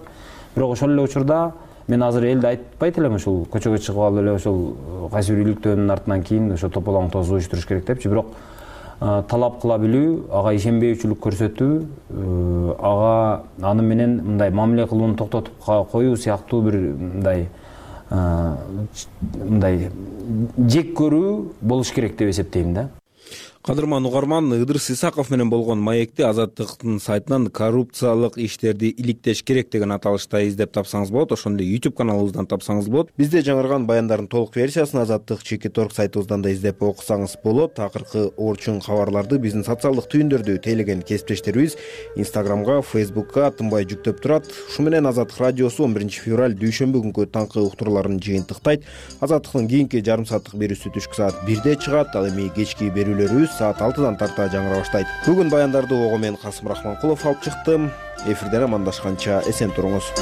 Бирок ошол эле учурда мен азыр элди айтпайт элем, ушул көчөгө чыгып алып эле ошол кайсы бир үйлүктөөнүн артынан кийин ошо тополоң тоз уюштуруш керек депчи. Бирок талап кыла билүү, ага ишенбөөчүлүк көрсөтүү, ага аны менен мындай мамиле кылууну токтотуп коюу сыяктуу бир мындай жек көрүү болуш керек деп эсептейм да. Кадырман угарман, Ыдырыс Исаков менен болгон маекти Азаттыктын сайтынан коррупциялык иштерди иликтеш керек деген аталышта издеп тапсаңыз болот. Ошондой YouTube каналыбыздан тапсаңыз болот. Бизде жаңырган баяндардын толук версиясын Азаттык /Org сайтыбыздан да издеп окусаңыз болот. Акыркы орчун кабарларды биздин социалдык түйүндөрдү тейлеген кесиптештерибиз Instagramга, Facebookка тынбай жүктөп турат. Ушу менен Азаттык радиосу 11 февраль дүйшөмбү күнкү таңкы уктурууларын жыйынтыктайт. Азаттыктын кийинки жарым сааттык берүүсү түшкү саат 1де чыгат. Ал эми кечки берүүлөрүбүз саат 6-дан тарта жаңыра баштайт. Бүгүн баяндарды ого мен Касым Рахманкулов алып чыктым. Эфирден амандашканча эсен туруңуз.